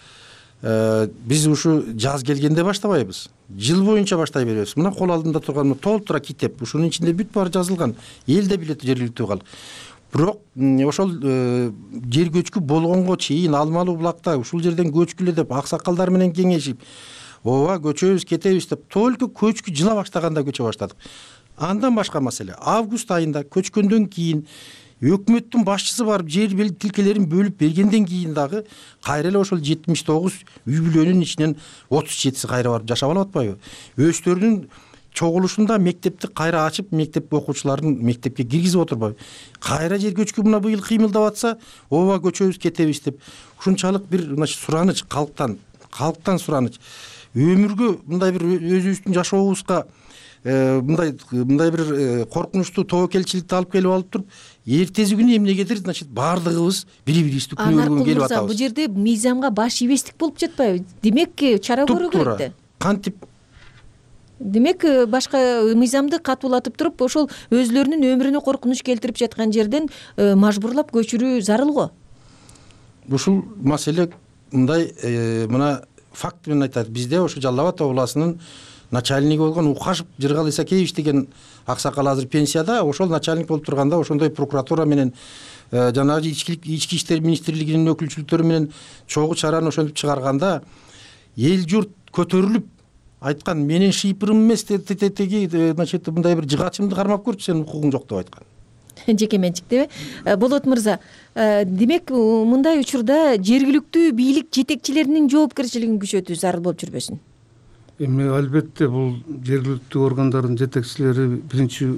биз ушу жаз келгенде баштабайбыз. Жыл боюнча баштай беребиз. Мына кол алдында турган толтура китеп, ушунун ичинде бүт баары жазылган. Эл да билет жергиликтүү калк. Бирок ошол жер көчкү болгонго чейин Алмалы Булакта ушул жерден көчкүлө деп аксакалдар менен кеңешип, ооба көчөбүз, кетебиз деп только көчкү жыла баштаганда көчө баштадык. Андан башка маселе, август айында көчкөндөн кийин өкмөттүн башчысы барып жер тилкелерин бөлүп бергенден кийин дагы кайра эле ошол жетимиш тогуз үй бүлөнүн ичинен отуз жетиси кайра барып жашап алып атпайбы? Өздөрүнүн чогулушунда мектепти кайра ачып, мектеп окуучуларын мектепке киргизип отурбайбы? Кайра жер көчкү мына быйыл кыймылдап атса, ооба көчөбүз, кетебиз деп. Ушунчалык бир значит сураныч калктан, калктан сураныч. Өмүргө мындай бир өзүбүздүн жашообузга мындай мындай бир коркунучтуу тобокелчиликти алып келип алып туруп, эртеси күнү эмнегедир значит баардыгыбыз бири-бирибизди күнөөлөгөнгө келип атабыз. Бул жерде мыйзамга баш ийбестик болуп жатпайбы? Демек чара көрүү керек да. Кантип? Демек башка мыйзамды катуулатып туруп, ошол өзлөрүнүн өмүрүнө коркунуч келтирип жаткан жерден мажбурлап көчүрүү зарыл го. Ушул маселе мындай мына факт менен айтат. Бизде ошо Жалал Абад областынын начальниги болгон Укашев Жыргал Исакеевич деген аксакал азыр пенсияда. Ошол начальник болуп турганда ошондой прокуратура менен жанагы ички иштер министрлигинин өкүлчүлүктөрү менен чогуу чараны ошентип чыгарганда эл журт көтөрүлүп айткан, менин шыйпырым эмес, теги значит мындай бир жыгачымды кармап көрчү, сенин укугуң жок деп айткан. Жеке менчиктеби? Болот мырза, демек мындай учурда жергиликтүү бийлик жетекчилеринин жоопкерчилигин күчөтүү зарыл болуп жүрбөсүн? Эми албетте бул жергиликтүү органдардын жетекчилери биринчи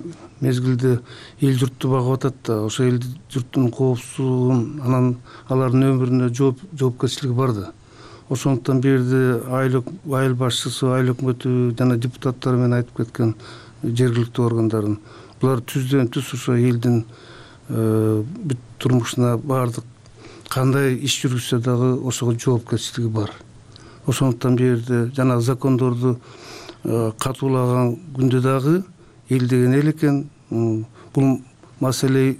мезгилде эл журтту багып атат да, ошо эл журттун коопсуздугун, анан алардын өмүрүнө жоопкерчилиги бар да. Ошондуктан бул жерде айыл башчысы, айыл өкмөтү жана депутаттар менен айтып кеткен жергиликтүү органдардын булар түздөн түз ошо элдин бүт турмушуна баардык кандай иш жүргүзсө дагы ошого жоопкерчилиги бар. Ошондуктан бул жерде жанагы закондорду катуулаган күндө дагы эл деген эл экен, бул маселе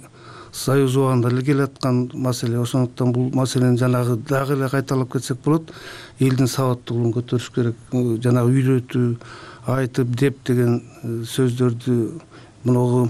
союз убагында эле келаткан маселе. Ошондуктан бул маселени жанагы дагы эле кайталап кетсек болот. Элдин сабаттуулугун көтөрүш керек. Жанагы үйрөтүү, айтып, деп деген сөздөрдү мыногу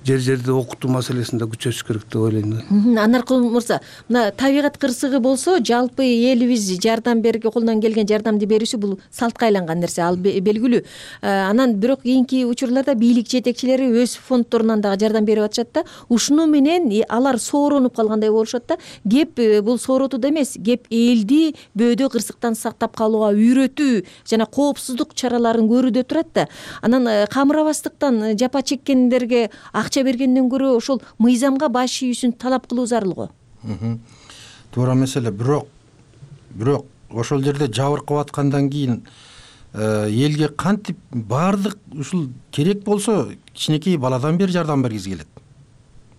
жер жерде окутуу маселесин да күчөтүш керек деп ойлойм. Анаркул мырза, мына табигат кырсыгы болсо, жалпы элибиз жардам берүүгө колунан келген жардамды берүүсү бул салтка айланган нерсе, ал белгилүү. Анан бирок кийинки учурларда бийлик жетекчилери өз фонддорунан дагы жардам берип атышат да, ушуну менен алар сооронуп калгандай болушат да. Кеп бул сооротууда эмес, кеп элди бөөдө кырсыктан сактап калууга үйрөтүү жана коопсуздук чараларын көрүүдө турат да. Анан камырабастыктан жапа чеккендерге акча бергенден көрө ошол мыйзамга баш ийүүсүн талап кылуу зарыл го. Туура маселе, бирок бирок ошол жерде жабыркап аткандан кийин элге кантип баардык ушул керек болсо кичинекей баладан бери жардам бергиси келет.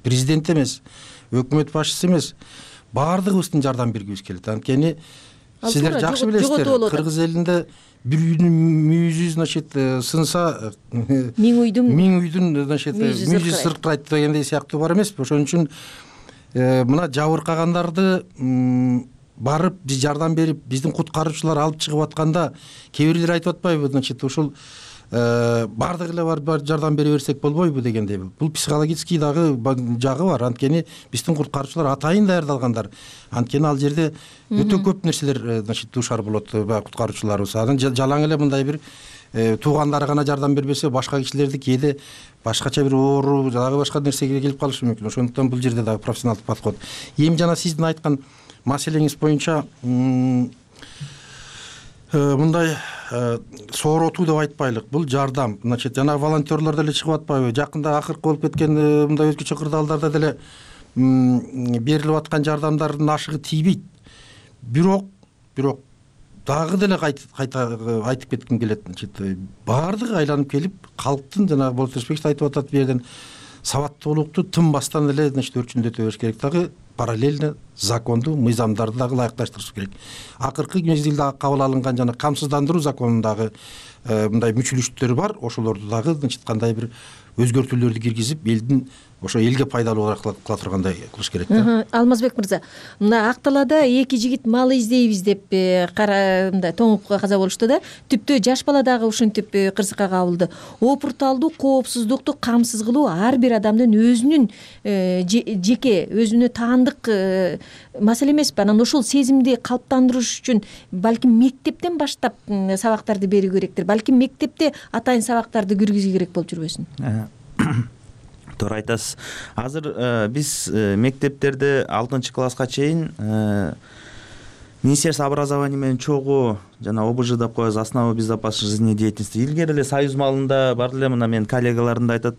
Президент эмес, өкмөт башчысы эмес, баардыгыбыздын жардам бергибиз келет. Анткени силер жакшы билесиздер, кыргыз элинде бир үйдүн мүйүзү значит сынса миң үйдүн миң үйдүн значит мүйүзү сыркырайт дегендей сыяктуу бар эмеспи? Ошон үчүн мына жабыркагандарды барып биз жардам берип, биздин куткаруучулар алып чыгып атканда кээ бирлер айтып атпайбы, значит ушул баардык эле барып жардам бере берсек болбойбу дегендей. Бул психологический дагы жагы бар. Анткени биздин куткаруучулар атайын даярдалгандар. Анткени ал жерде өтө көп нерселер значит дуушар болот куткаруучуларыбыз. Анан жалаң эле мындай бир туугандары гана жардам бербесе, башка кишилерди кээде башкача бир оору, дагы башка нерсеге келип калышы мүмкүн. Ошондуктан бул жерде дагы профессионалдык подход. Эми жана сиздин айткан маселеңиз боюнча мындай сооротуу деп айтпайлык, бул жардам. Значит, жана волонтерлор деле чыгып атпайбы? Жакында акыркы болуп кеткен мындай өзгөчө кырдаалдарда деле берилип аткан жардамдардын ашыгы тийбейт. Бирок, бирок дагы деле кайта айтып кетким келет. Значит, баардыгы айланып келип, калктын жанагы Болот Эшбекович айтып атат, бу жерден сабаттуулукту тынбастан эле значит өрчүндөтө бериш керек, дагы параллельно законду, мыйзамдарды дагы ылайыкташтырыш керек. Акыркы мезгилде кабыл алынган жана камсыздандыруу законундагы мындай мүчүлүштөр бар, ошолорду дагы значит кандай бир өзгөртүүлөрдү киргизип, элдин ошо элге пайдалуураак кыла тургандай кылыш керек да. Алмазбек мырза, мына Ак Талаада эки жигит мал издейбиз деп мындай тоңуп каза болушту да. Түптө жаш бала дагы ушинтип кырсыкка кабылды. Опурталдуу, коопсуздукту камсыз кылуу ар бир адамдын өзүнүн жеке, өзүнө таандык маселе эмеспи? Анан ошол сезимди калыптандырыш үчүн балким мектептен баштап сабактарды берүү керектир. Балким мектепте атайын сабактарды киргизүү керек болуп жүрбөсүн. Туура айтасыз. Азыр биз мектептерде алтынчы класска чейин Министерство образования менен чогуу жана О Б Ж деп коебуз, основа безопасности жизнедеятельности. Илгери эле союз малында бар эле, мына менин коллегаларым да айтат,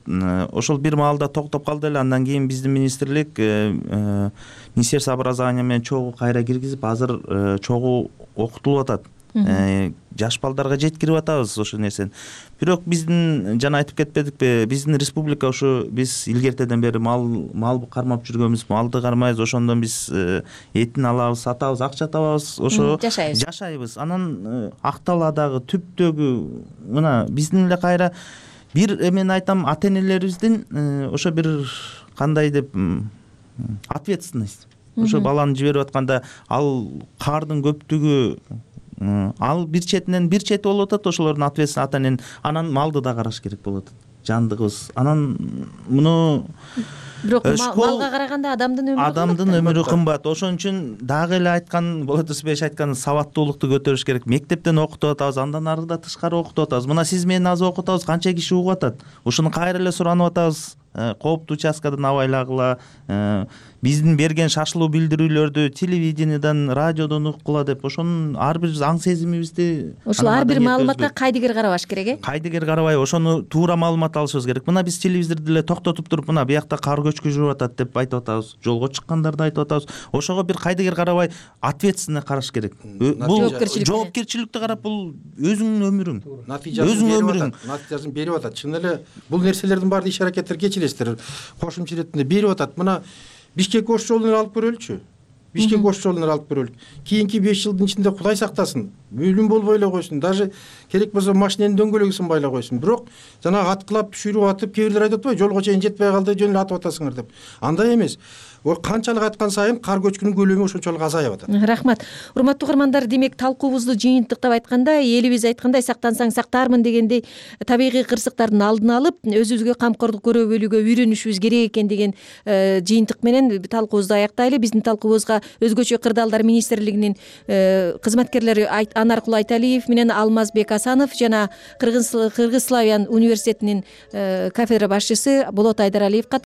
ошол бир маалда токтоп калды эле. Андан кийин биздин министрлик Министерство образования менен чогуу кайра киргизип, азыр чогуу окутулуп атат. Жаш балдарга жеткирип атабыз ошол нерсени. Бирок биздин жана айтып кетпедикпи, биздин республика ушу биз илгертеден бери мал мал кармап жүргөнбүз, малды кармайбыз, ошондон биз этин алабыз, сатабыз, акча табабыз, ошо жашайбыз. Анан Ак Талаадагы түптөгү мына биздин эле кайра бир мен айтам, ата энелерибиздин ошо бир кандай деп ответственность. Ошо баланы жиберип атканда ал кардын көптүгү ал бир четинен бир чети болуп атат, ошолордун ответственность ата эненин, анан малды да караш керек болуп атат, жандыгыбыз. Анан муну бирок малга караганда адамдын өмүрү адамдын өмүрү кымбат. Ошон үчүн дагы эле айткан болот, Сбеш айткан сабаттуулукту көтөрүш керек. Мектептен окутуп атабыз, андан ары да тышкары окутуп атабыз. Мына сиз мени азыр окутуп атабыз, канча киши угуп атат. Ушуну кайра эле суранып атабыз. Кооптуу участкадан абайлагыла, биздин берген шашылуу билдирүүлөрдү телевидениеден, радиодон уккула деп, ошонун ар бир аң сезимибизди, ошол ар бир маалыматка кайдыгер карабаш керек э? Кайдыгер карабай, ошону туура маалымат алышыбыз керек. Мына биз телевизорду эле токтотуп туруп, мына биякта кар көчкү жүрүп атат деп айтып атабыз, жолго чыккандарды айтып атабыз. Ошого бир кайдыгер карабай, ответственно караш керек. Бул жоопкерчиликти карап, бул өзүңдүн өмүрүң, өзүңдүн өмүрүң. Натыйжасын берип атат. Чын эле бул нерселердин баарын иш аракеттер кечиресиздер, кошумча иретинде берип атат. Мына Бишкек ош жолун алып көрөлүчү. Бишкек ош жолун алып көрөлүк. Кийинки беш жылдын ичинде Кудай сактасын, өлүм болбой эле койсун, даже керек болсо машиненин дөңгөлөгү сынбай эле койсун. Бирок жанагы аткылап түшүрүп атып, кээ бирлер айтып атпайбы, жолго чейин жетпей калды, жөн эле атып атасыңар деп. Андай эмес. Канчалык аткан сайын кар көчкүнүн көлөмү ошончолук азайып атат. Рахмат. Урматтуу угармандар, демек талкуубузду жыйынтыктап айтканда, элибиз айткандай сактансаң сактаармын дегендей табигый кырсыктардын алдын алып, өзүбүзгө камкордук көрө билүүгө үйрөнүшүбүз керек экен деген жыйынтык менен талкуубузду аяктайлы. Биздин талкуубузга Өзгөчө кырдаалдар министрлигинин кызматкерлери Анар Кулайталиев менен Алмазбек Асанов жана Кыргыз Славян университетинин кафедра башчысы Болот Айдаралиев